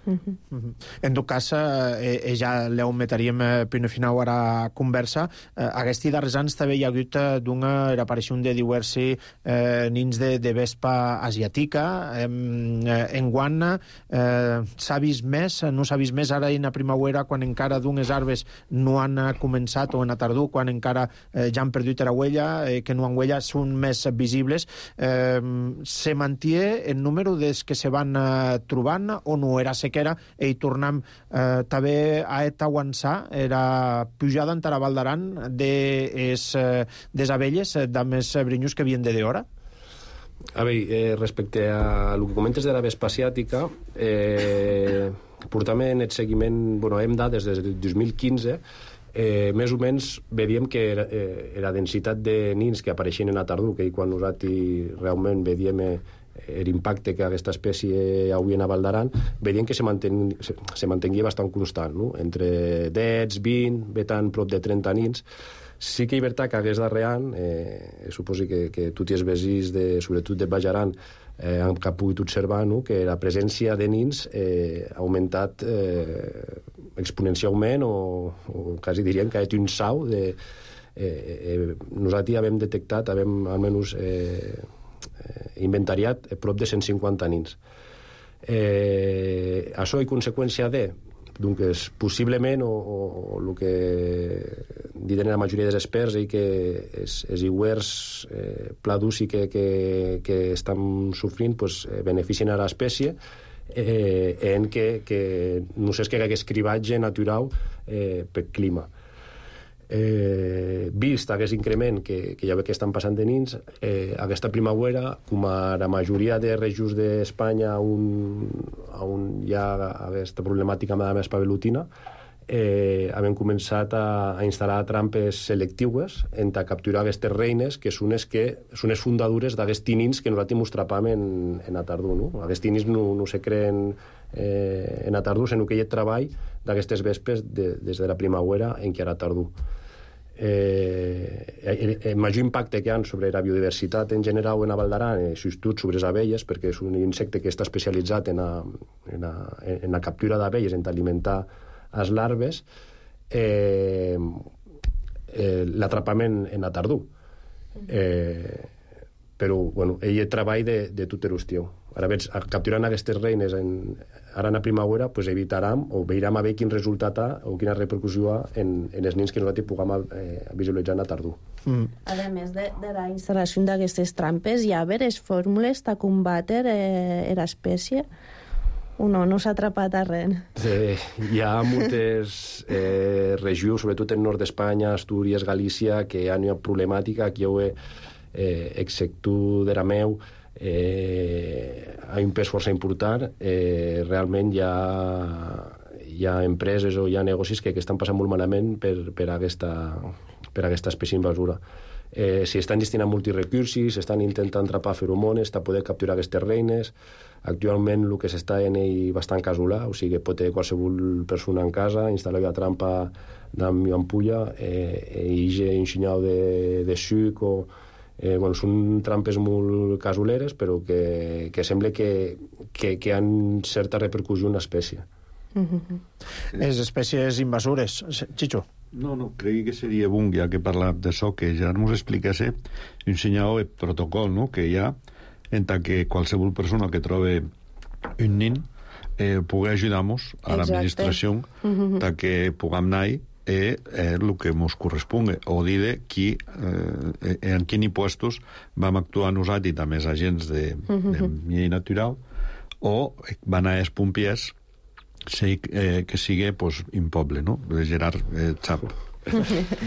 Uh-huh. Uh-huh. En tot cas, eh, ja l'heu metaríem eh, primer final a la conversa. Eh, aquests darrers anys també hi ha hagut eh, d'una aparició de diversi eh, nins de, de vespa asiàtica. Eh, en guant eh, s'ha vist més, no s'ha vist més ara en la primavera, quan encara d'unes arbes no han començat, o en la tardor, quan encara eh, ja han perdut la huella, eh, que no han huella, són més visibles. Eh, se manté el número des que se van eh, trobant, o no era sequera, i tornem eh, també a aguançar era pujada en la Val d'Aran de es, eh, des abelles de més brinyos que havien de d'hora? A veure, eh, respecte a el que comentes de la vespa asiàtica, eh, portam en el seguiment, bueno, hem dades des del dos mil quinze, eh, més o menys veiem que era, eh, la densitat de nins que apareixien en la tardor, que quan nosaltres realment veiem eh, l'impacte que aquesta espècie avui en la Val d'Aran, veiem que se, manten, se, se mantengia bastant constant, no? Entre deu, vint, vetant prop de trenta nins. Sí que és veritat que aquest darrer any, eh, suposo que, que tots els veïns, de, sobretot de Baix Aran, eh, han pogut observar, no?, que la presència de nins eh, ha augmentat eh, exponencialment, o, o quasi diríem que ha estat un salt de... Eh, eh, nosaltres havíem detectat, havíem almenys... Eh, inventariat prop de cent cinquanta nins. Eh, això és conseqüència de, doncs, possiblement, o, o, o el que diuen la majoria dels experts és que els, els iguers eh, pla d'uci que, que, que estan sofrint pues, beneficien a l'espècie eh, en que, que no sé, és que hagués cribatge natural eh, per clima. Eh, vist aquest increment que, que ja ve que estan passant de nins, eh, aquesta primavera, com a la majoria de regions d'Espanya on, on hi ha aquesta problemàtica amb la espavelutina, eh, hem començat a, a instal·lar trampes selectives en a capturar aquestes reines, que són les, que, són les fundadures d'aquests tinins que nosaltres mostrapam en, en la tardor. No? Aquests tinins no, no se creen eh, en la tardor, sinó que hi ha treball d'aquestes vespes de, des de la primavera en què era tardor. Eh, el, el major impacte que hi ha sobre la biodiversitat en general en la Val d'Aran és sobretot sobre les abelles, perquè és un insecte que està especialitzat en la, en la, en la captura d'abelles, en alimentar les larves, eh, eh, l'atrapament en la tardor. Eh, però, bueno, ell treball de, de tot l'estiu. Ara veig, capturant aquestes reines en, ara en la primavera, pues evitarem o veurem a veure quin resultat ha o quina repercussió ha en, en els nins que nosaltres puguem eh, visualitzar en la tardor. Mm. A més de, de la instal·lació d'aquestes trampes, hi ha veres fórmules de combatre eh, l'espècie? O no, no s'ha atrapat a res? Eh, hi ha moltes eh, regions, sobretot en nord d'Espanya, Astúries, Galícia, que hi ha una problemàtica, aquí ho he eh, exceptu de la meu, eh, hi ha un pes força important, eh, realment hi ha, hi ha empreses o hi ha negocis que, que estan passant molt malament per, per, aquesta, per aquesta espècie invasora. Eh, si estan gestionant multirecursos, estan intentant atrapar feromones per poder capturar aquestes reines. Actualment el que s'està en ell bastant casolà, o sigui, pot tenir qualsevol persona en casa, instal·lar la trampa d'am i ampulla, eh, i ja ensenyau de, de suc o... Eh, bueno, són trampes molt casoleres, però que, que sembla que, que, que han certa repercussió en l'espècie. Mm-hmm. Les espècies invasores, Chicho. No, no, crec que seria bon, ja que parla d'això, que ja ens explicasse un senyal de protocol, no?, que hi ha en tant que qualsevol persona que trobe un nin eh, pugui ajudar-nos a l'administració mm-hmm. tant que puguem anar és eh, el que ens corresponga, o dir de qui, eh, en quins impostos vam actuar nosaltres amb els agents de, mm-hmm. de llei natural, o van a els pompiers sí, eh, que sigui pues, un poble, no? Gerard eh, sap.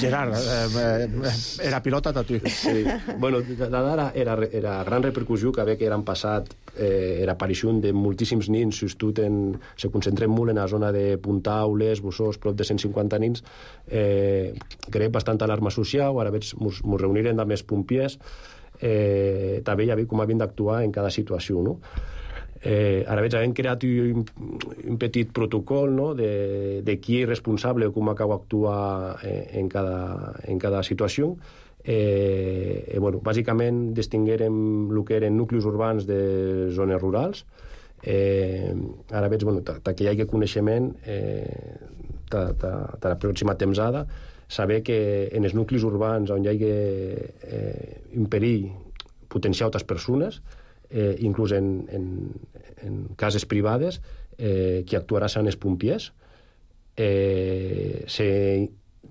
Gerard, eh, eh, era pilota a tu. Sí. Bueno, la dada era, era gran repercussió que havia que eren passat eh, era aparició de moltíssims nins, justut en, se concentren molt en la zona de Puntaules, Bossós, prop de cent cinquanta nins, eh, crec bastant alarma social, ara veig, mos, mos reunirem amb els pompiers, eh, també ja veig com havien d'actuar en cada situació, no? Eh, ara veig, hem creat un, un petit protocol, no?, de, de qui és responsable o com acaba d'actuar eh, en, cada, en cada situació. Eh, eh, bueno, bàsicament distinguérem el que eren nuclis urbans de zones rurals. Eh, ara veig, bueno, que hi hagi coneixement eh, de, de, de la pròxima temsada, saber que en els nuclis urbans on hi hagi eh, un perill potenciar altres persones, Eh, inclús en, en, en cases privades, eh, qui actuarà seran els pompiers. Eh, se,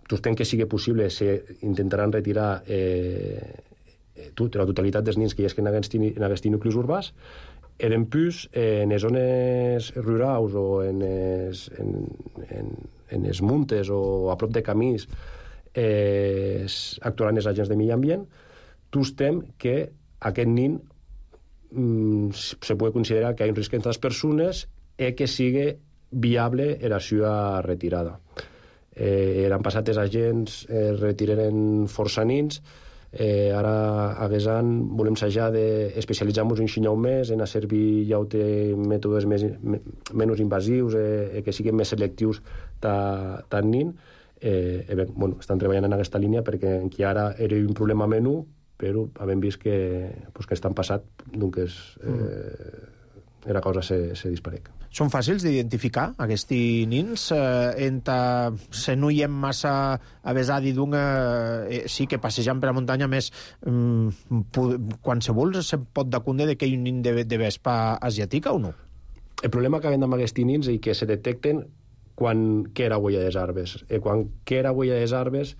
tot que sigui possible, se intentaran retirar eh, tot, la totalitat dels nins que hi ha en aquests nuclis urbans. Eren plus, eh, en les zones rurals o en els, en, en, en els muntes o a prop de camins, eh, actuaran els agents de medi ambient. Tostem que aquest nin se pot considerar que hi ha un risc entre les persones i que sigui viable la seva retirada. Eh, eren passat els agents, eh, retiraren força nins, eh, ara hagués any volem sajar d'especialitzar-nos un xinyau més en a servir ja de mètodes més, menys invasius, eh, que siguin més selectius tant nin. Eh, eh, bé, bueno, estan treballant en aquesta línia perquè aquí ara era un problema menú, però havem vist que, pues, que estan passat, doncs eh, era cosa se, se disparec. Són fàcils d'identificar, aquests nins? Eh, enta se no hi hem massa avesadi d'un... Eh, sí que passejant per la muntanya més mm, qualsevol se pot d'acunde de que hi ha un nin de, de vespa asiàtica o no? El problema que havem amb aquests nins és que se detecten quan que era huella dels arbres. Eh, quan que era huella dels arbres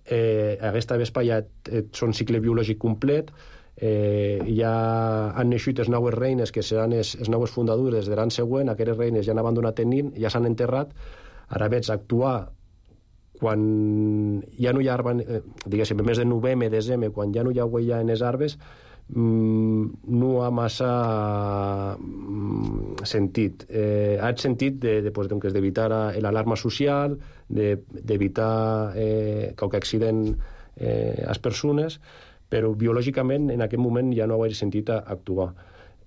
Eh, aquesta vespa ja eh, són cicle biològic complet, eh, ja han naixut les noves reines que seran les, les noves fundadures de l'any següent, aquestes reines ja han abandonat el nin, ja s'han enterrat. Ara veig actuar quan ja no hi ha arbre, eh, diguéssim, en mes de novembre, desembre, quan ja no hi ha huella en els arbres, mm, no ha massa mm, sentit. Eh, ha sentit de, de, pues, doncs, d'evitar l'alarma social, de, d'evitar eh, qualque accident eh, a les persones, però biològicament en aquest moment ja no ho he sentit a actuar.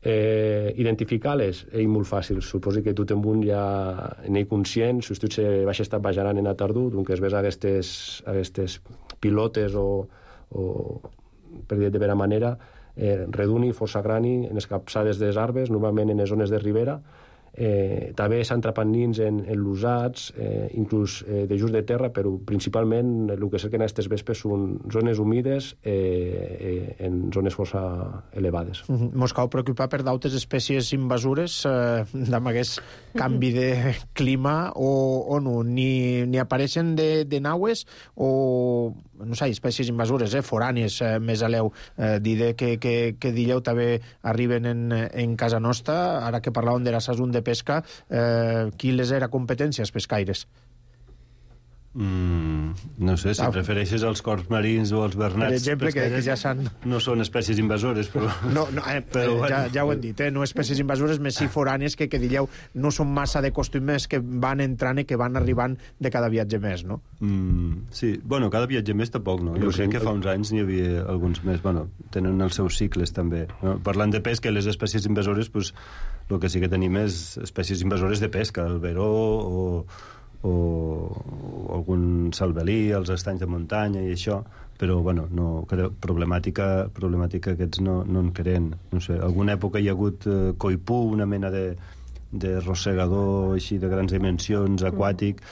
Eh, identificar-les és molt fàcil. Suposo que tot en un ja n'hi conscient, si tu se vaig estar bajarant en la tardor, doncs es ves aquestes, aquestes pilotes o, o per dir de vera manera, eh, reduni, força grani, en les capçades dels arbres, normalment en les zones de ribera. Eh, també s'han atrapat nins en, en l'usats, eh, inclús eh, de just de terra, però principalment el que cerquen aquestes vespes són zones humides eh, eh, en zones força elevades. Mm -hmm. Mos cal preocupar per d'altres espècies invasores eh, amb aquest canvi de clima o, o no? Ni, ni apareixen de, de naues o, no sé, espècies invasores, eh, forànies, eh, més aleu, eh, dir que, que, que dilleu també arriben en, en casa nostra, ara que parlàvem de la sason de pesca, eh, qui les era competències pescaires? Mm, no sé, si ah. prefereixes els corps marins o els bernats... Per exemple, que, que ja s'han... No són espècies invasores, però... No, no eh, però, ja, bueno. ja ho hem dit, eh? No espècies invasores, més si foranes que, que diríeu, no són massa de costums que van entrant i que van arribant de cada viatge més, no? Mm, sí, bueno, cada viatge més tampoc, no? Jo crec que fa uns anys n'hi havia alguns més, bueno, tenen els seus cicles també. No? Parlant de pesca, les espècies invasores, pues, el que sí que tenim és espècies invasores de pesca, el veró o... o algun salvelí, els estanys de muntanya i això, però bueno, no, problemàtica, problemàtica aquests no, no en creen. No sé, alguna època hi ha hagut eh, coipú, una mena de, de rosegador així de grans dimensions, aquàtic,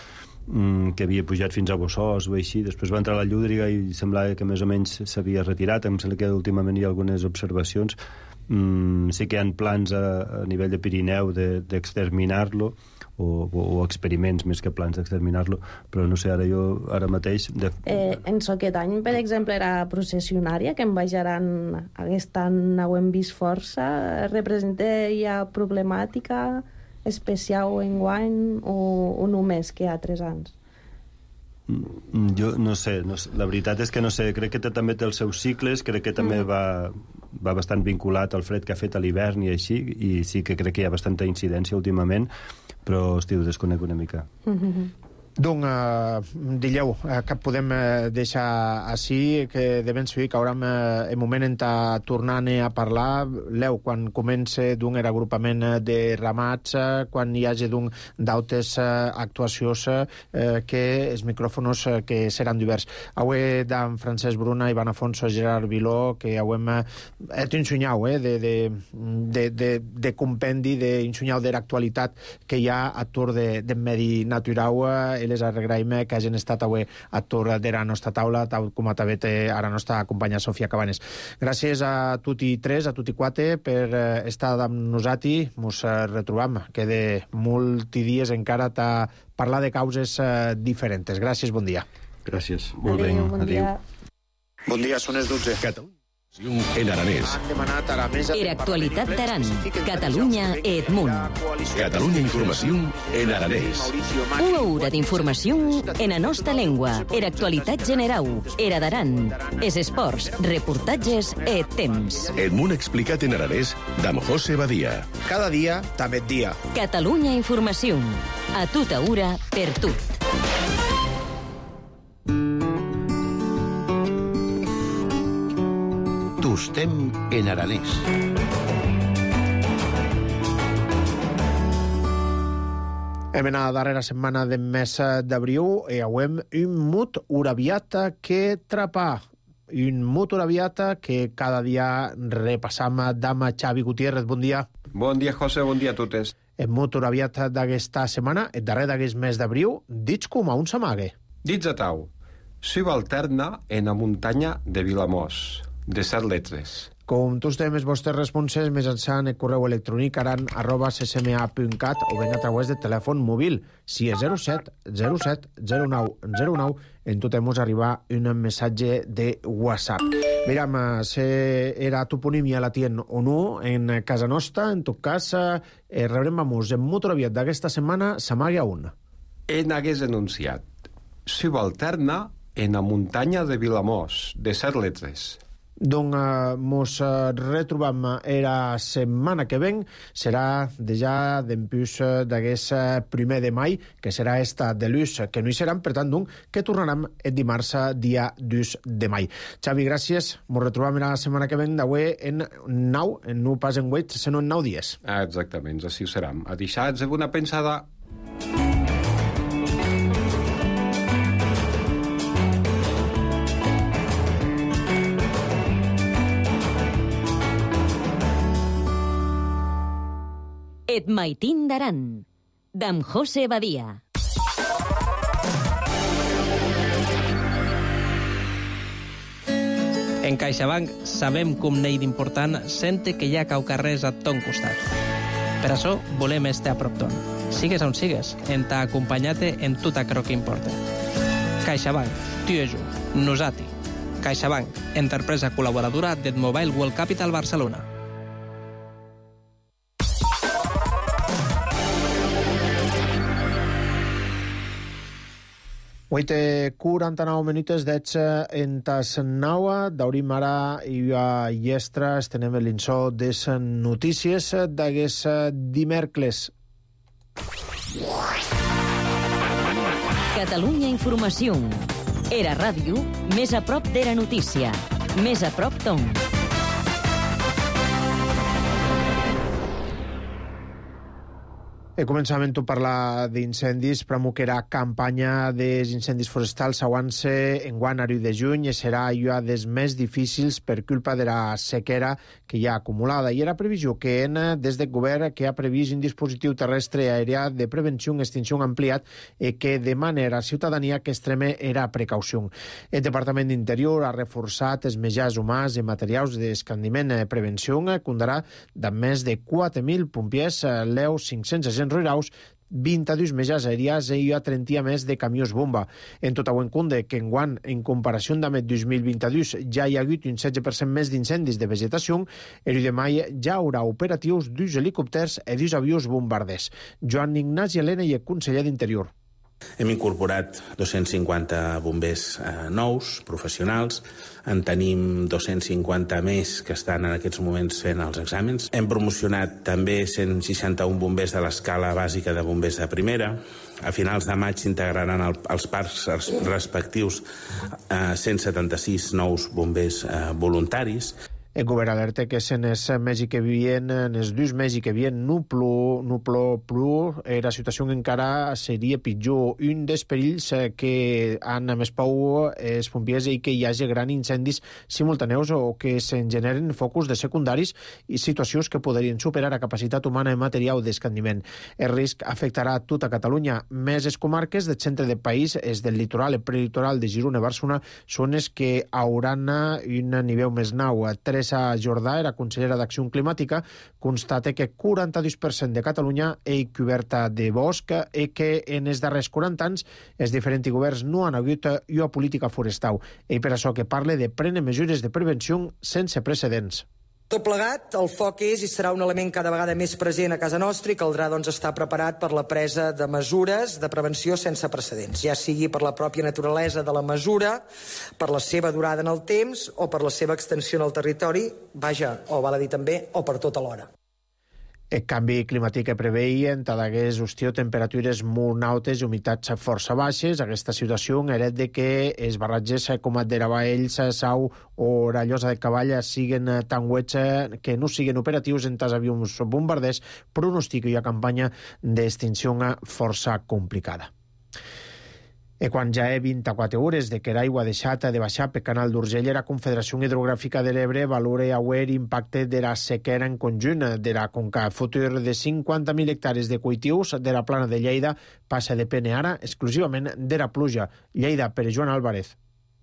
mm, que havia pujat fins a Bossòs o així. Després va entrar la llúdriga i semblava que més o menys s'havia retirat. Em sembla que últimament hi ha algunes observacions. Mm, sí que hi ha plans a, a nivell de Pirineu d'exterminar-lo, de, o, o, o experiments més que plans d'exterminar-lo, però no sé, ara jo ara mateix... De... Eh, en aquest any, per exemple, era processionària, que en baixaran aquest any ho hem vist força. Representa ja problemàtica especial en guany o, o només que hi ha tres anys? Jo no sé, no sé, la veritat és que no sé, crec que té, també té els seus cicles, crec que també mm. va, va bastant vinculat al fred que ha fet a l'hivern i així, i sí que crec que hi ha bastanta incidència últimament, però, hosti, ho desconec una mica. Mm-hmm. Donc, eh, dilleu, eh, que podem eh, deixar així, que de ben segur que haurem eh, el moment en tornar a parlar. Leu, quan comence d'un agrupament de ramats, eh, quan hi hagi d'un d'autes eh, actuacions, eh, que els micròfons eh, que seran diversos. Avui d'en Francesc Bruna, Ivan Afonso, Gerard Viló, que avui hem eh, t'ensenyau, eh, de, de, de, de, de compendi, d'ensenyau de l'actualitat que hi ha a tour de, de medi natural, eh, les agraïm que hagin estat avui a tour de la nostra taula, tal com també té a la nostra companya Sofia Cabanes. Gràcies a tutti tres, a tutti quatre, per estar amb nosaltres. Ens retrobam. Queda molts dies encara a parlar de causes diferents. Gràcies, bon dia. Gràcies. Molt bé, bon dia. Bon dia, són les dotze. En aranès. Era actualitat d'Aran. Catalunya e Edmunt. Catalunya Informació en aranès. Una hora d'informació en la nostra llengua. Era actualitat general. Era d'Aran. Es esports, reportatges e temps. Edmunt explicat en aranès d'Am José Badia. Cada dia, també dia. Catalunya Informació. A tota hora, per tot. Tostem en aranès. Hem anat a la darrera setmana del mes d'abril i avem un mut uraviata que trapà. Un mut uraviata que cada dia repassam. Dama Xavi Gutiérrez, bon dia. Bon dia, José, bon dia a totes. El mut uraviata d'aquesta setmana, el darrer d'aquest mes d'abril, dits com a un s'amague. Dits a tau. Subalterna en la muntanya de Vilamós, de set letres. Com tots tenim els vostres responses mitjançant el correu electrònic aran arroba c s m a punt cat o ben a través del telèfon mòbil. Si és zero set zero set zero nou zero nou, en tot hemos arribar un missatge de WhatsApp. Miram, si era toponímia la tien o no, en casa nostra, en tot cas, eh, rebrem vamos, en motor aviat d'aquesta setmana s'amaga un. En hagués enunciat. Subalterna en la muntanya de Vilamós, de set letres. Donc, eh, mos eh, retrobam era setmana que ven, serà de ja d'empús d'aquest primer de mai, que serà esta de l'ús, que no hi seran, per tant, donc, que tornaram el dimarts, dia dos de mai. Xavi, gràcies. Mos retrobam la setmana que ven d'avui en nou, en no pas en vuit, sinó en nou dies. Ah, exactament, així ho seram. A deixats una pensada. Et maitín d'Aran, d'Am José Badia. En CaixaBank sabem com n'hi d'important sente que hi ha caucarrers a ton costat. Per això volem estar a prop ton. Sigues on sigues, en t'ha acompanyat-te en tot aquello que importa. CaixaBank, tu i jo, nosati. CaixaBank, empresa col·laboradora del Mobile World Capital Barcelona. vuit i quaranta-nou minuts d'ets en tas naua, d'aurim ara i a llestra estenem l'insó des notícies d'aguest dimèrcles. Catalunya Informació. Era ràdio, més a prop d'Era Notícia. Més a prop d'on. E començament a parlar d'incendis, pramo que era campanya dels incendis forestals aguant-se en guant ariu de juny i serà ja des més difícils per culpa de la sequera que hi ha acumulada. I era previsió que en, des del govern que ha previst un dispositiu terrestre aèria de prevenció i extinció ampliat i que demana a la ciutadania que extreme era precaució. El Departament d'Interior ha reforçat els mitjans humans i materials d'escandiment i prevenció, comptarà amb més de quatre mil pompiers, l'eu cinc-cents agents rurals, vint-i-dos mitjans aèries i a trenta més de camions bomba. En tot ho en compte que enguant, en comparació amb el dos mil vint-i-dos, ja hi ha hagut un setze per cent més d'incendis de vegetació, el de mai ja haurà operatius dos helicòpters i dos avions bombarders. Joan Ignasi Helena i el conseller d'Interior. Hem incorporat dos-cents cinquanta bombers eh, nous, professionals. En tenim dos-cents cinquanta més que estan en aquests moments fent els exàmens. Hem promocionat també cent seixanta-un bombers de l'escala bàsica de bombers de primera. A finals de maig s'integraran el, els parcs respectius eh, cent setanta-sis nous bombers eh, voluntaris. El govern alerta que en els mesos que vien, en els dos mesos que vien, no plou, no plou, plou, eh, la situació encara seria pitjor. Un dels perills que han més por els pompiers i que hi hagi grans incendis simultaneus o que se'n generen focus de secundaris i situacions que podrien superar la capacitat humana i material d'escandiment. El risc afectarà a tota Catalunya. Més les comarques del centre del país, els del litoral i prelitoral de Girona i Barcelona, són els que hauran un nivell més nou. Teresa Jordà, era consellera d'Acció Climàtica, constata que quaranta-dos per cent de Catalunya és coberta de bosc i que en els darrers quaranta anys els diferents governs no han hagut una política forestal. I per això que parla de prendre mesures de prevenció sense precedents. Tot plegat, el foc és i serà un element cada vegada més present a casa nostra i caldrà doncs, estar preparat per la presa de mesures de prevenció sense precedents, ja sigui per la pròpia naturalesa de la mesura, per la seva durada en el temps o per la seva extensió en el territori, vaja, o val a dir també, o per tota l'hora. El canvi climàtic que preveien, tot hagués hostió temperatures molt altes i humitats força baixes. Aquesta situació heret de que els barratges com el de Rabaells, Sau o la Llosa de Cavall siguen tan huets que no siguen operatius en tas avions bombarders, pronostica una campanya d'extinció força complicada. I quan ja hi ha vint-i-quatre hores de que l'aigua ha deixat de baixar per Canal d'Urgell, la Confederació Hidrogràfica de l'Ebre valora avui l'impacte de la sequera en conjunt de la conca. Futur de cinquanta mil hectàrees de cultius de la plana de Lleida passa a depèn ara exclusivament de la pluja. Lleida, per Joan Álvarez.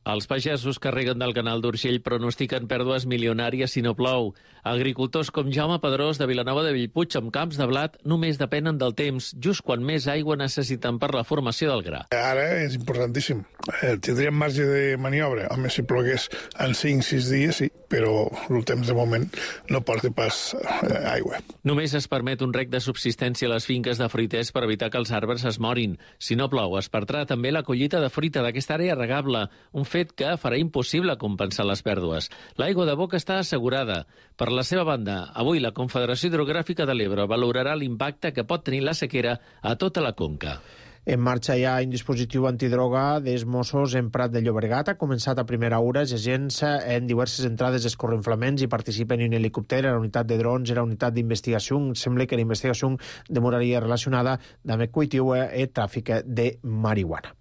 Els pagesos que reguen del Canal d'Urgell pronostiquen pèrdues milionàries si no plou. Agricultors com Jaume Pedrós de Vilanova de Bellpuig amb camps de blat només depenen del temps, just quan més aigua necessiten per la formació del gra. Ara és importantíssim. Eh, tindríem marge de maniobra. Home, si plogués en cinc o sis dies, sí, però el temps de moment no porta pas eh, aigua. Només es permet un rec de subsistència a les finques de fruiters per evitar que els arbres es morin. Si no plou, es perdrà també la collita de fruita d'aquesta àrea regable, un fet que farà impossible compensar les pèrdues. L'aigua de boca està assegurada. Per la seva banda, avui la Confederació Hidrogràfica de l'Ebre valorarà l'impacte que pot tenir la sequera a tota la conca. En marxa hi ha un dispositiu antidroga dels Mossos en Prat de Llobregat. Ha començat a primera hora. Els agents en diverses entrades escorrenflaments i participen en un helicòpter, en la unitat de drons, en la unitat d'investigació. Sembla que la investigació demoraria relacionada amb el cultiu i tràfic de marihuana.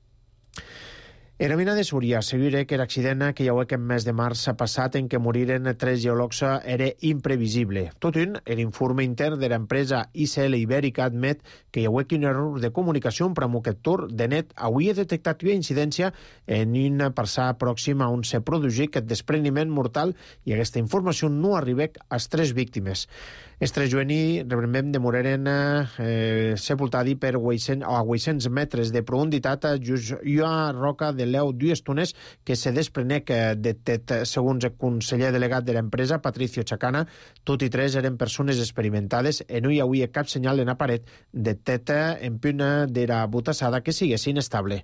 Era mina de Súria assegura que l'accident que hi ha aquest mes de març passat en què moriren tres geòlegs era imprevisible. Tot un, l'informe intern de l'empresa I C L Ibèrica admet que hi ha un error de comunicació per amb aquest tour de net havia detectat una incidència en un passar pròxim on se produïa aquest despreniment mortal i aquesta informació no arriba als tres víctimes. Els tres jueni, recordem, demoraren eh, sepultadi per a vuit-cents metres de profunditat just una roca de l'eu dues tones que se desprenec de tet. Segons el conseller delegat de l'empresa, Patricio Chacana, tot i tres eren persones experimentades i no hi havia cap senyal en la paret de tet en punt de la botassada que sigués inestable.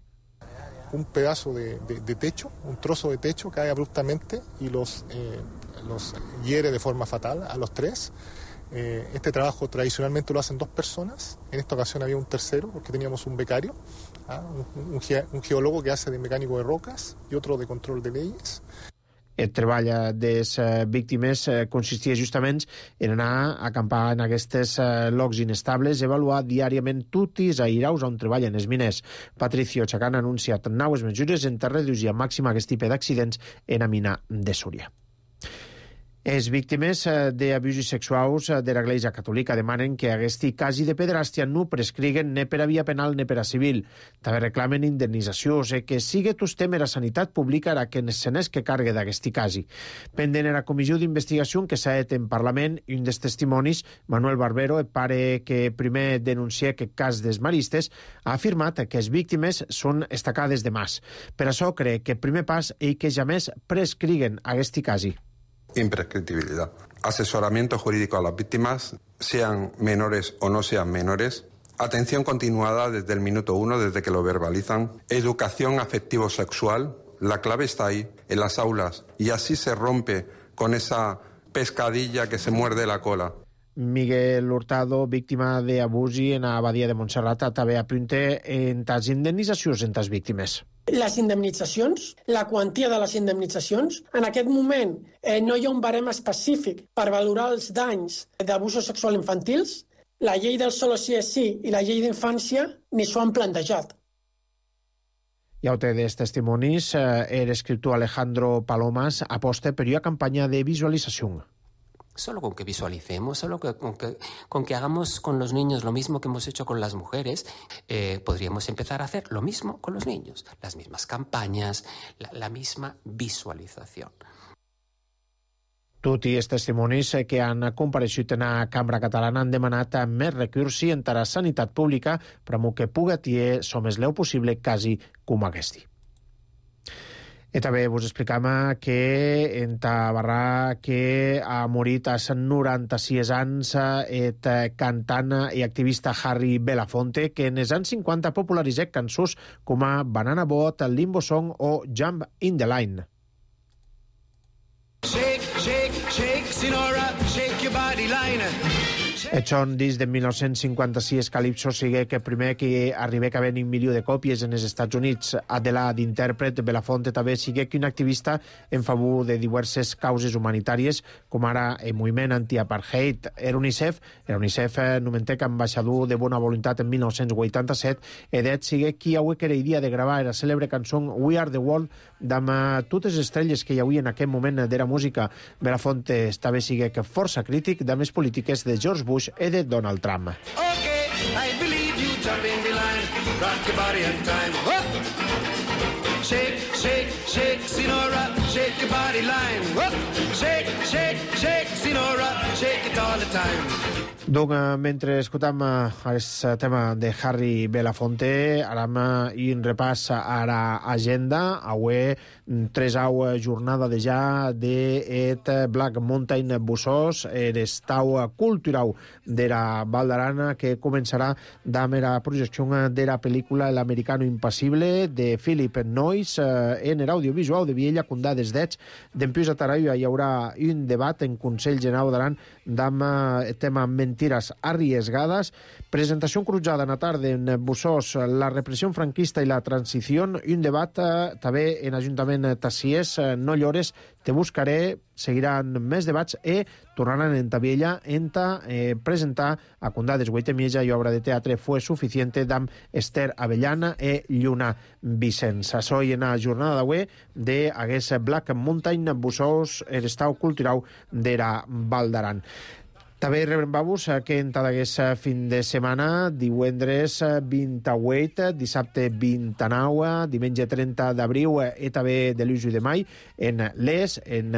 un pedazo de, de, de techo, un trozo de techo cae abruptamente y los, eh, los hiere de forma fatal a los tres. Eh, este trabajo tradicionalmente lo hacen dos personas, en esta ocasión había un tercero porque teníamos un becario, ¿ah? un, un, ge, un geólogo que hace de mecánico de rocas y otro de control de leyes. El treball de les víctimes consistia justament en anar a acampar en aquests llocs inestables, avaluar diàriament tots els airaus on treballen els miners. Patricio Chacán ha anunciat noves mesures en reduir a màxim aquest tipus d'accidents en la mina de Súria. Les víctimes d'abusos sexuals de l'Església Catòlica demanen que aquest cas de pederàstia no prescriguen ni per a via penal ni per a civil. També reclamen indemnitzacions i que sigui tot tema de la sanitat pública a que se n'és que cargue d'aquest cas. Pendent en la comissió d'investigació que s'ha fet en Parlament, un dels testimonis, Manuel Barbero, el pare que primer denuncia aquest cas dels maristes, ha afirmat que les víctimes són estacades de mas. Per això cree que el primer pas és que jamés prescriguen aquest cas. Imprescriptibilidad. Asesoramiento jurídico a las víctimas, sean menores o no sean menores. Atención continuada desde el minuto uno, desde que lo verbalizan. Educación afectivo-sexual. La clave está ahí, en las aulas. Y así se rompe con esa pescadilla que se muerde la cola. Miguel Hurtado, víctima d'abusi en la Badia de Montserrat, també apunta en les indemnitzacions en les víctimes. Les indemnitzacions, la quantia de les indemnitzacions. En aquest moment eh, no hi ha un barem específic per valorar els danys d'abusos sexuals infantils. La llei del solo sí és sí i la llei d'infància ni s'ho han plantejat. I a de testimonis, eh, el escriptor Alejandro Palomas aposta per una campanya de visualització. Solo con que visualicemos, solo que, con, que, con que hagamos con los niños lo mismo que hemos hecho con las mujeres, eh, podríamos empezar a hacer lo mismo con los niños. Las mismas campañas, la, la misma visualització. Tots els testimonis que han compareixut en la Cambra Catalana han demanat més recursos en la sanitat pública per a que pugui tenir el més leu possible quasi com aquest. I també vos explicam que en Tabarrà que ha morit a noranta-sis anys el cantant i activista Harry Belafonte, que en els anys cinquanta popularitzat cançons com a Banana Boat, Limbo Song o Jump in the Line. Shake, shake, shake, Sinora, shake your body line. El son disc de mil nou-cents cinquanta-sis Calypso sigui que primer que arriba a haver un milió de còpies en els Estats Units. Adela d'intèrpret, Belafonte també sigui que un activista en favor de diverses causes humanitàries, com ara el moviment anti-apartheid. Era UNICEF, era UNICEF nomentec ambaixador de bona voluntat en mil nou-cents vuitanta-set, i d'et sigui qui avui que era idea de gravar la cèlebre cançó We Are the World amb totes les estrelles que hi havia en aquell moment de la música. Belafonte també sigui que força crític de més polítiques de George Bush e de Donald Trump. Okay, I believe you jump in the line, rock your body in time. Whoop! Shake, shake, shake, Sinora, shake your body line. Whoop! Shake, shake, shake, Sinora, shake it all the time. Donc, mentre escoltam el tema de Harry Belafonte, anem un repàs a l'agenda. Avui, tres au jornada de ja de Black Mountain Bussos, l'estau cultural de la Val d'Aran, que començarà amb la projecció de la pel·lícula L'americano impassible de Philip Noyce en l'audiovisual de Viella, Condades d'Ets. Dempués a Taraia hi haurà un debat en Consell General d'Aran amb el tema mentiras arriesgadas. Presentació cruzada en la tarda en Bussos, la repressió franquista i la transició. Un debat eh, també en Ajuntament Tassiers, eh, no llores, te buscaré. Seguiran més debats i tornaran en Tabiella en ta eh, presentar a Condades Guaitemieja i obra de teatre Fue Suficiente d'am Esther Avellana e Lluna Vicenç. Soy en la jornada d'avui de hagués Black Mountain Bussos, el estau cultural de la Val d'Aran. També rebem-vos que en tot aquest fin de setmana, divendres vint-i-vuit, dissabte vint-i-nou, diumenge trenta d'abril i també de l'u de mai, en l'Es, en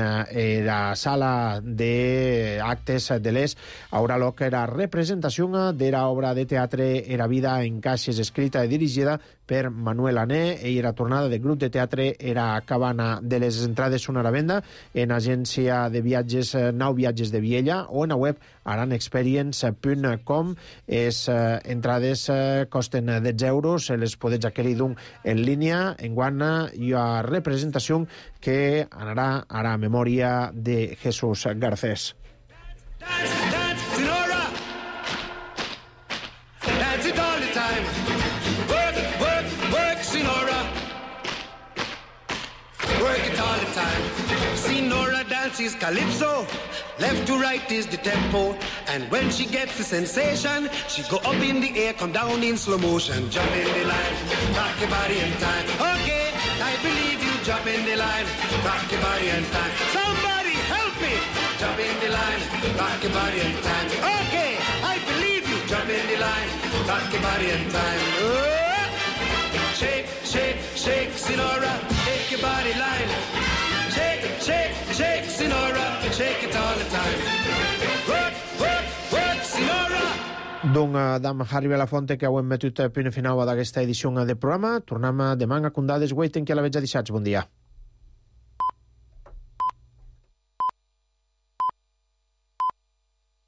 la sala d'actes de l'Es, haurà lloc la representació de l'obra de teatre Era vida en caixes, escrita i dirigida per Manuel Ané, i la tornada del grup de teatre Era Cabana. De les entrades són a la venda en agència de viatges Nou Viatges de Viella o en la web aranexperience punt com. Les eh, entrades eh, costen dotze euros, les podeu adquirir d'un en línia. Enguany hi ha representació que anarà ara a memòria de Jesús Garcés. Dance, dance, Sinora. Dance it all the time. Work, work, work, Sinora. Work it all the time. Sinora dances calypso. Left to right is the tempo. And when she gets the sensation, she go up in the air, come down in slow motion. Jump in the line, rock your body in time. Okay, I believe you. Jump in the line, rock your body in time. Somebody help me. Jump in the line, rock your body in time. Okay, I believe you. Jump in the line, rock your body in time. Oh! Shake, shake, shake, Sinora, shake your body line. Shake, shake, shake, Sinora, shake it all the time. Work, work, work, Sinora. Doncs, d'am Harry Belafonte, que ho hem metut a punt final d'aquesta edició de programa. Tornem demà a Condades, Waiting, que a la veig a dissabte. Bon dia.